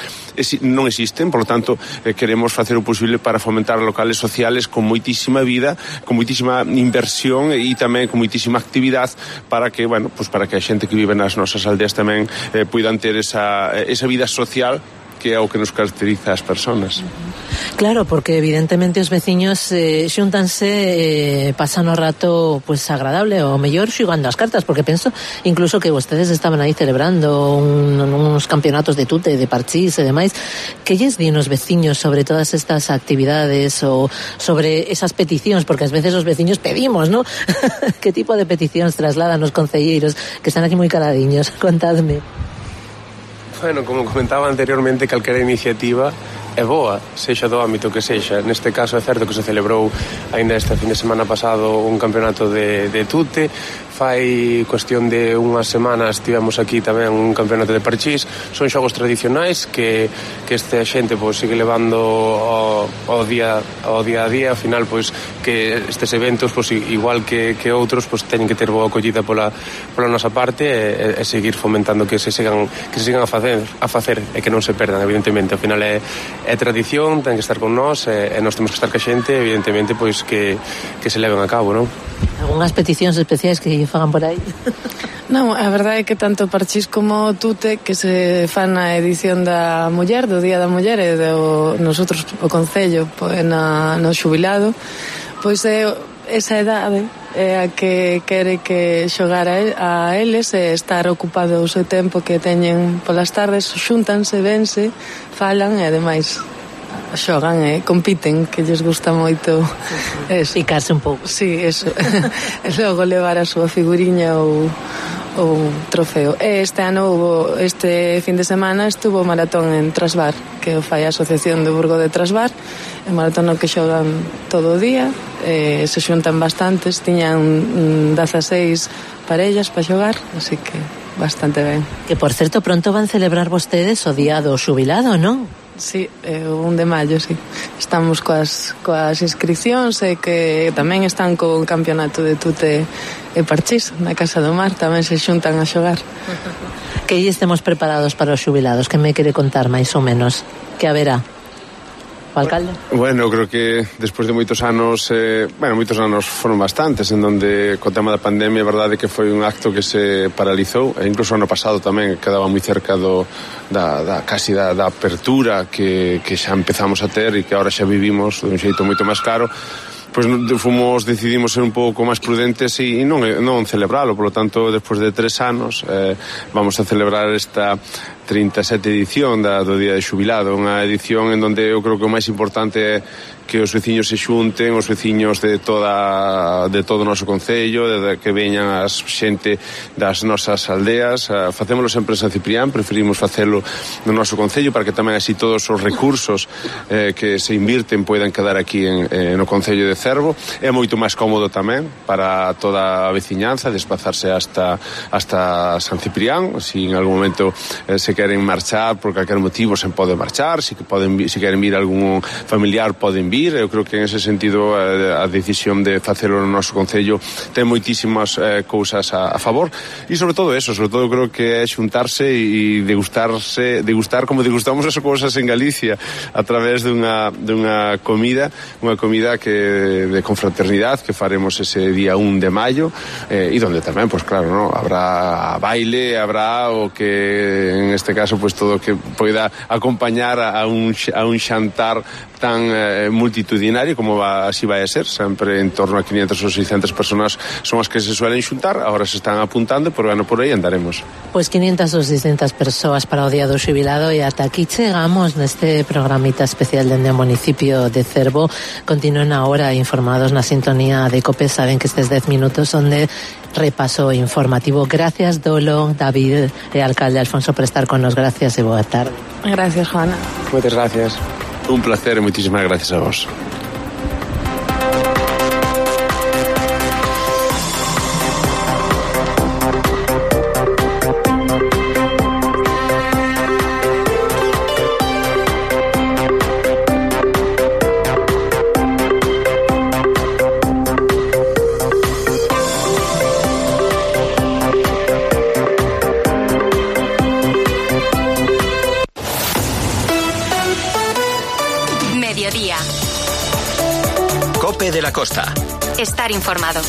non existen. Polo tanto queremos facer o posible para fomentar locales sociales con moitísima vida, con moitísima inversión e tamén con moitísima actividade para que, bueno, pues para que a xente que vive nas nosas aldeas tamén puidan ter esa vida social que é o que nos caracteriza as persoas. Claro, porque evidentemente os veciños xúntanse, pasan o rato pues agradable, ou mellor xugando as cartas, porque penso incluso que vostedes estaban aí celebrando uns campeonatos de tute, de parchís e demais. Que lles din os veciños sobre todas estas actividades ou sobre esas peticións? Porque ás veces os veciños pedimos, ¿no? Que tipo de peticións trasladan os concelleiros que están aquí moi caladiños? Contadme. Bueno, como comentaba anteriormente, calquera iniciativa é boa, sexa do ámbito que sexa. Neste caso é certo que se celebrou aínda este fin de semana pasado un campeonato de tute. Fai cuestión de unhas semanas tivemos aquí tamén un campeonato de parchís. Son xogos tradicionais que esta xente pois sigue levando ao día a día. Ao final, pois, que estes eventos, pois, igual que outros, pois, teñen que ter boa acollida pola nosa parte e seguir fomentando que se sigan a facer e que non se perdan, evidentemente. Ao final é tradición, ten que estar con nós e nós temos que estar ca xente, evidentemente, pois que se leven a cabo, non? Algunhas peticións especiais que lle fagan por aí? Non, a verdade é que tanto parchís como tute que se fan na edición da muller, do Día da Muller e nosotros o Concello no xubilado, pois é esa edade é a que quere que xogar a eles e estar ocupado o seu tempo que teñen polas tardes, xúntanse, vense, falan e ademais xogan e compiten, que lles gusta moito picarse un pouco. Sí, eso. E logo levar a súa figuriña ou trofeo. Este ano este fin de semana estuvo o maratón en Trasbar, que o fai a Asociación do Burgo de Trasbar, e maratón no que xogan todo o día, se xuntan bastantes, tiñan 16 parellas para xogar, así que bastante ben. Que, por certo, pronto van celebrar vostedes o día do xubilado, non? Sí, o 1 de maio, sí. Estamos coas inscripcións e que tamén están co campeonato de tute e parchís na Casa do Mar, tamén se xuntan a xogar. Que aí estemos preparados para os xubilados, que me quere contar máis ou menos? Que haberá? O alcalde? Bueno, creo que despois de moitos anos, moitos anos foron bastantes, en donde co tema da pandemia, a verdade que foi un acto que se paralizou, e incluso ano pasado tamén quedaba moi cerca casi da apertura que xa empezamos a ter e que agora xa vivimos de un xeito moito máis claro. Pois decidimos ser un pouco máis prudentes e non celebralo, polo tanto, despois de 3 anos vamos a celebrar esta 37 edición do Día de Xubilado, unha edición en donde eu creo que o máis importante é que os veciños se xunten, os veciños de todo o noso concello, que veñan as xente das nosas aldeas. Facémolo sempre en San Ciprián, preferimos facelo no noso concello para que tamén así todos os recursos que se invirten poidan quedar aquí no concello de Cervo. É moito máis cómodo tamén para toda a veciñanza desplazarse hasta San Ciprián. Si en algún momento se queren marchar por calquer motivo se pode marchar, se queren vir algún familiar poden vir. Eu creo que en ese sentido a decisión de facelo no noso concello ten moitísimas cousas a favor, e sobre todo creo que é xuntarse e degustar como degustamos as cousas en Galicia a través dunha comida que de confraternidade que faremos ese día 1 de maio, e donde tamén, pues claro, ¿no? Habrá baile, habrá o que en este caso pues todo que poida acompañar a un xantar tan multitudinario como así vai a ser, sempre en torno a 500 ou 600 personas son as que se suelen xuntar, agora se están apuntando, pero bueno, por aí andaremos. Pois 500 ou 600 persoas para o Día do Xubilado, e ata aquí chegamos neste programita especial dende o municipio de Cervo. Continúen agora informados na sintonía de COPE, saben que estes 10 minutos son de repaso informativo. Gracias, Dolo, David e alcalde Alfonso, por estar con nos. Gracias e boa tarde. Gracias, Juana. Moitas gracias. Un placer e moitísimas gracias a vos. de la Costa. Estar informado.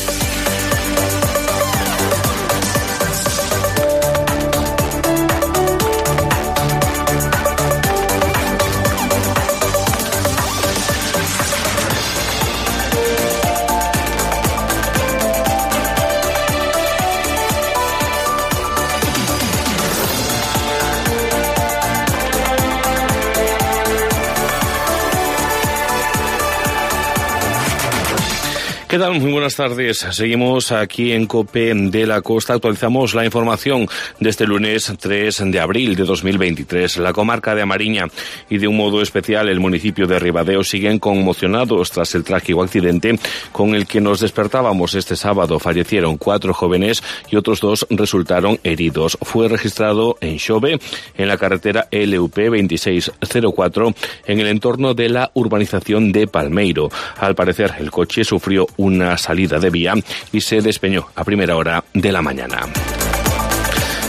¿Qué tal? Muy buenas tardes. Seguimos aquí en COPE de la Costa. Actualizamos la información de este lunes 3 de abril de 2023. La comarca de Amariña y de un modo especial el municipio de Ribadeo siguen conmocionados tras el trágico accidente con el que nos despertábamos este sábado. Fallecieron 4 jóvenes y otros 2 resultaron heridos. Fue registrado en Xove, en la carretera LUP 2604, en el entorno de la urbanización de Palmeiro. Al parecer, el coche sufrió una salida de vía y se despeñó a primera hora de la mañana.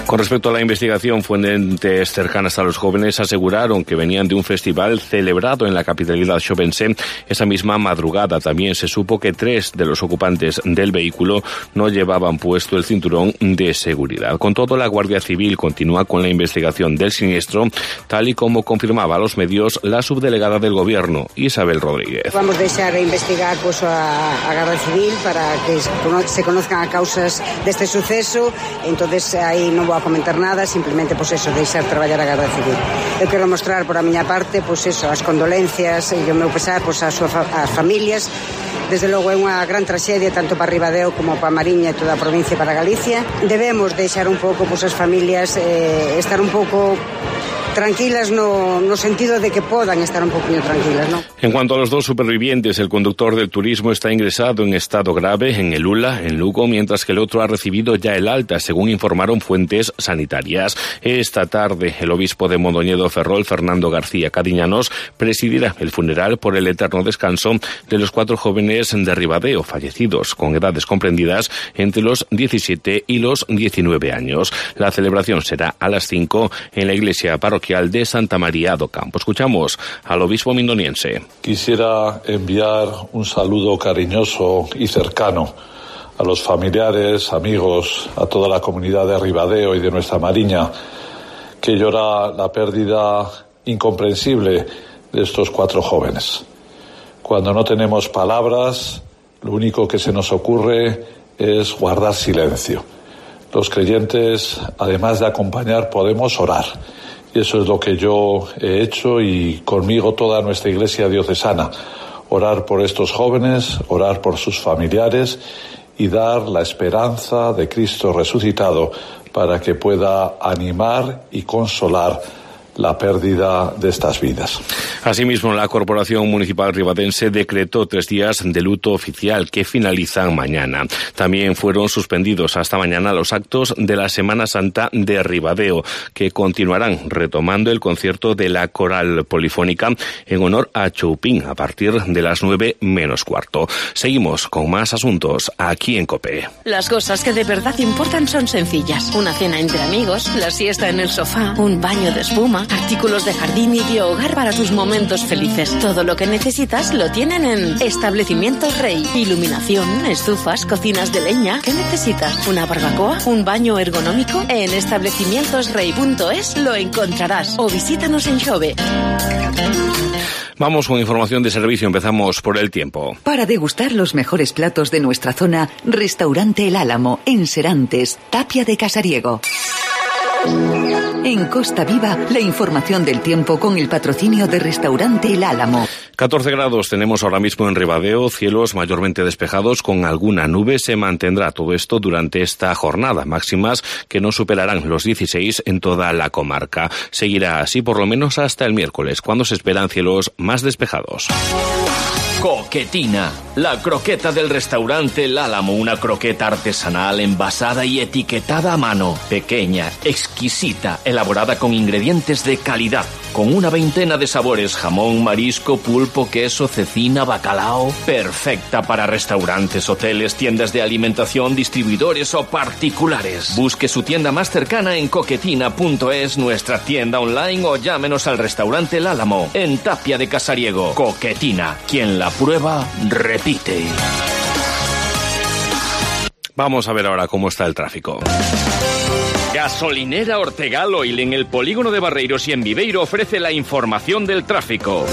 Con respecto a la investigación, fuentes cercanas a los jóvenes aseguraron que venían de un festival celebrado en la capitalidad xovense. Esa misma madrugada también se supo que 3 de los ocupantes del vehículo no llevaban puesto el cinturón de seguridad. Con todo, la Guardia Civil continúa con la investigación del siniestro, tal y como confirmaba a los medios la subdelegada del Gobierno, Isabel Rodríguez. Vamos a deixar investigar a Guardia Civil para que se conozcan as causas deste suceso. Entonces aí non vou a comentar nada, simplemente deixar traballar a Garda Civil. Eu quero mostrar por a miña parte as condolencias e o meu pesar ás familias. Desde logo é unha gran traxedia tanto para Ribadeo como para Mariña e toda a provincia para Galicia. Debemos deixar un pouco as familias estar un pouco tranquilas no sentido de que podan estar un poquinho tranquilas, ¿no? En cuanto a los 2 supervivientes, el conductor del turismo está ingresado en estado grave en el ULA, en Lugo, mientras que el otro ha recibido ya el alta, según informaron fuentes sanitarias. Esta tarde, el obispo de Mondoñedo Ferrol, Fernando García Cadiñanos, presidirá el funeral por el eterno descanso de los 4 jóvenes de Ribadeo, fallecidos con edades comprendidas entre los 17 y los 19 años. La celebración será a las 5 en la iglesia parroquial de Santa María do Campo. Escuchamos al obispo mindoniense. Quisiera enviar un saludo cariñoso y cercano a los familiares, amigos, a toda la comunidad de Ribadeo y de nuestra Mariña, que llora la pérdida incomprensible de estos 4 jóvenes. Cuando no tenemos palabras, lo único que se nos ocurre es guardar silencio. Los creyentes, además de acompañar, podemos orar. Y eso es lo que yo he hecho y conmigo toda nuestra Iglesia diocesana. Orar por estos jóvenes, orar por sus familiares y dar la esperanza de Cristo resucitado para que pueda animar y consolar la pérdida de estas vidas. Asimismo, la Corporación Municipal Ribadense decretó 3 días de luto oficial que finalizan mañana. También fueron suspendidos hasta mañana los actos de la Semana Santa de Ribadeo, que continuarán retomando el concierto de la Coral Polifónica en honor a Choupín a partir de las 9:15. Seguimos con más asuntos aquí en COPE. Las cosas que de verdad importan son sencillas. Una cena entre amigos, la siesta en el sofá, un baño de espuma, artículos de jardín y de hogar para tus momentos felices. Todo lo que necesitas lo tienen en Establecimientos Rey. Iluminación, estufas, cocinas de leña. ¿Qué necesitas? ¿Una barbacoa? ¿Un baño ergonómico? En establecimientosrey.es lo encontrarás. O visítanos en Xove. Vamos con información de servicio. Empezamos por el tiempo. Para degustar los mejores platos de nuestra zona, Restaurante El Álamo, en Serantes, Tapia de Casariego. En Costa Viva, la información del tiempo con el patrocinio de Restaurante El Álamo. 14 grados tenemos ahora mismo en Ribadeo, cielos mayormente despejados con alguna nube. Se mantendrá todo esto durante esta jornada, máximas que no superarán los 16 en toda la comarca. Seguirá así por lo menos hasta el miércoles, cuando se esperan cielos más despejados. Coquetina, la croqueta del restaurante El Álamo, una croqueta artesanal envasada y etiquetada a mano, pequeña, exquisita, elaborada con ingredientes de calidad. con una veintena de sabores: jamón, marisco, pulpo, queso, cecina, bacalao. Perfecta para restaurantes, hoteles, tiendas de alimentación, distribuidores o particulares. Busque su tienda más cercana en coquetina.es, nuestra tienda online, o llámenos al restaurante El Álamo, en Tapia de Casariego. Coquetina, quien la prueba, repite. Vamos a ver ahora cómo está el tráfico. Gasolinera Ortegal Oil en el polígono de Barreiros y en Viveiro ofrece la información del tráfico.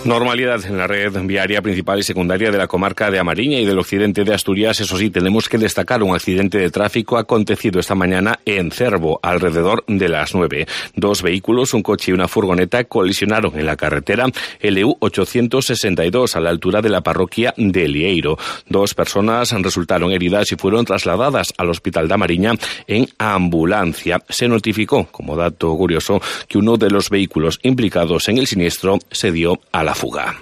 Normalidad en la red viaria principal y secundaria de la comarca de A Mariña y del occidente de Asturias. Eso sí, tenemos que destacar un accidente de tráfico acontecido esta mañana en Cervo, alrededor de las 9. 2 vehículos, un coche y una furgoneta, colisionaron en la carretera LU 862 a la altura de la parroquia de Lieiro. 2 personas resultaron heridas y fueron trasladadas al hospital de A Mariña en ambulancia. Se notificó, como dato curioso, que uno de los vehículos implicados en el siniestro se dio a la fuga.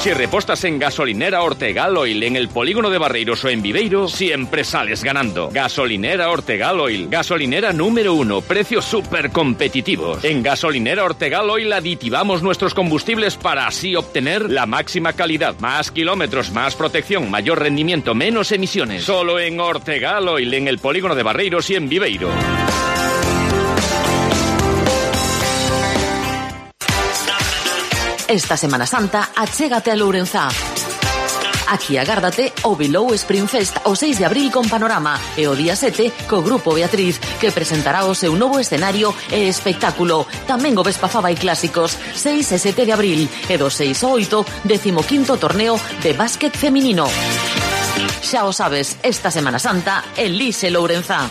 Si repostas en Gasolinera Ortegal Oil en el polígono de Barreiros o en Viveiro, siempre sales ganando. Gasolinera Ortegal Oil, gasolinera número 1, precios súper competitivos. En Gasolinera Ortegal Oil aditivamos nuestros combustibles para así obtener la máxima calidad, más kilómetros, más protección, mayor rendimiento, menos emisiones. Solo en Ortegal Oil en el polígono de Barreiros y en Viveiro. Esta Semana Santa, achégate a Lourenzá. Aquí agárdate o Bilou Spring Fest o 6 de abril con Panorama e o día 7 co Grupo Beatriz, que presentará o seu novo escenario e espectáculo. Tamén o Vespa Faba e Clásicos, 6 e 7 de abril e do 6 ao 8, 15º torneo de básquet feminino. Xa o sabes, esta Semana Santa, elixe Lourenzá.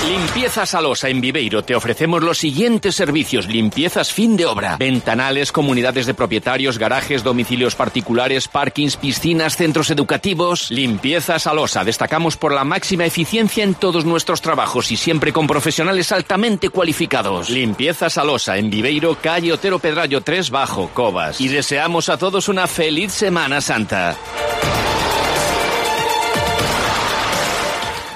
Limpiezas Alosa en Viveiro. Te ofrecemos los siguientes servicios: limpiezas fin de obra, ventanales, comunidades de propietarios, garajes, domicilios particulares, parkings, piscinas, centros educativos. Limpiezas Alosa. Destacamos por la máxima eficiencia en todos nuestros trabajos y siempre con profesionales altamente cualificados. Limpiezas Alosa en Viveiro, calle Otero Pedrallo 3 Bajo, Covas. Y deseamos a todos una feliz Semana Santa.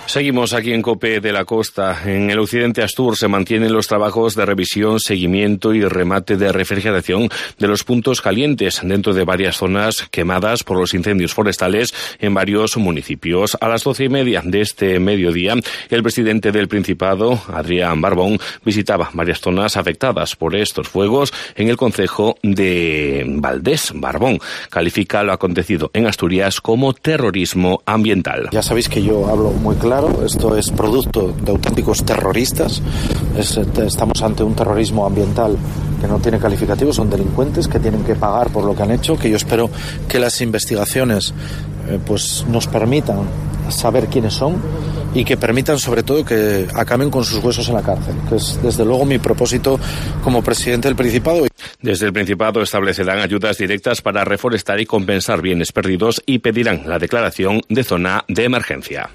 Seguimos aquí en COPE de la Costa. En el occidente Astur se mantienen los trabajos de revisión, seguimiento y remate de refrigeración de los puntos calientes dentro de varias zonas quemadas por los incendios forestales en varios municipios. A las 12:30 de este mediodía, el presidente del Principado, Adrián Barbón, visitaba varias zonas afectadas por estos fuegos en el concejo de Valdés. Barbón califica lo acontecido en Asturias como terrorismo ambiental. Ya sabéis que yo hablo muy claro. Esto es producto de auténticos terroristas. Estamos ante un terrorismo ambiental que no tiene calificativo. Son delincuentes que tienen que pagar por lo que han hecho, que yo espero que las investigaciones pues nos permitan saber quiénes son y que permitan sobre todo que acaben con sus huesos en la cárcel, que es desde luego mi propósito como presidente del Principado. Desde el Principado establecerán ayudas directas para reforestar y compensar bienes perdidos y pedirán la declaración de zona de emergencia.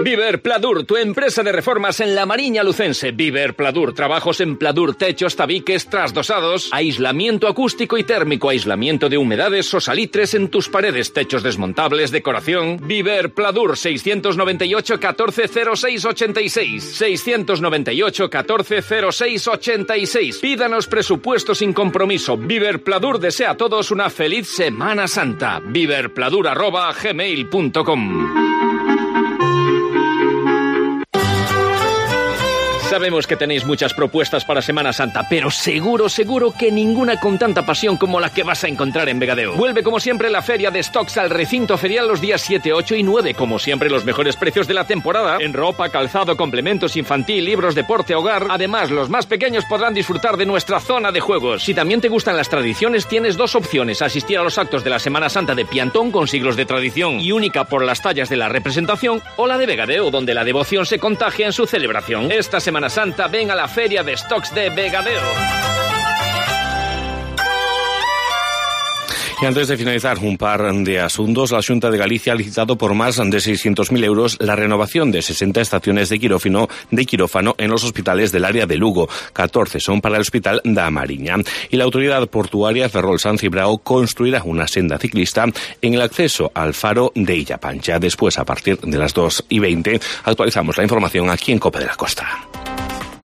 Viver Pladur, tu empresa de reformas en la Mariña Lucense. Viver Pladur, trabajos en pladur, techos, tabiques, trasdosados, aislamiento acústico y térmico, aislamiento de humedades o salitres en tus paredes, techos desmontables, decoración. Viver Pladur, 698 14 06 86, 698 14 06 86. Pídanos presupuesto sin compromiso. Viver Pladur desea a todos una feliz Semana Santa. viverpladur@gmail.com. Sabemos que tenéis muchas propuestas para Semana Santa, pero seguro que ninguna con tanta pasión como la que vas a encontrar en Vegadeo. Vuelve como siempre la feria de stocks al recinto ferial los días 7, 8 y 9. Como siempre, los mejores precios de la temporada en ropa, calzado, complementos infantil, libros, deporte, hogar. Además, los más pequeños podrán disfrutar de nuestra zona de juegos. Si también te gustan las tradiciones, tienes 2 opciones: asistir a los actos de la Semana Santa de Piantón, con siglos de tradición y única por las tallas de la representación, o la de Vegadeo, donde la devoción se contagia en su celebración. Esta Semana Santa ven a la feria de stocks de Vegadeo. Y antes de finalizar, un par de asuntos. La Xunta de Galicia ha licitado por más de 600.000 euros la renovación de 60 estaciones de quirófano en los hospitales del área de Lugo. 14 son para el Hospital da Mariña. Y la autoridad portuaria Ferrol San Cibrao construirá una senda ciclista en el acceso al faro de Illa Pancha. Después, a partir de las 2:20, actualizamos la información aquí en COPE de la Costa.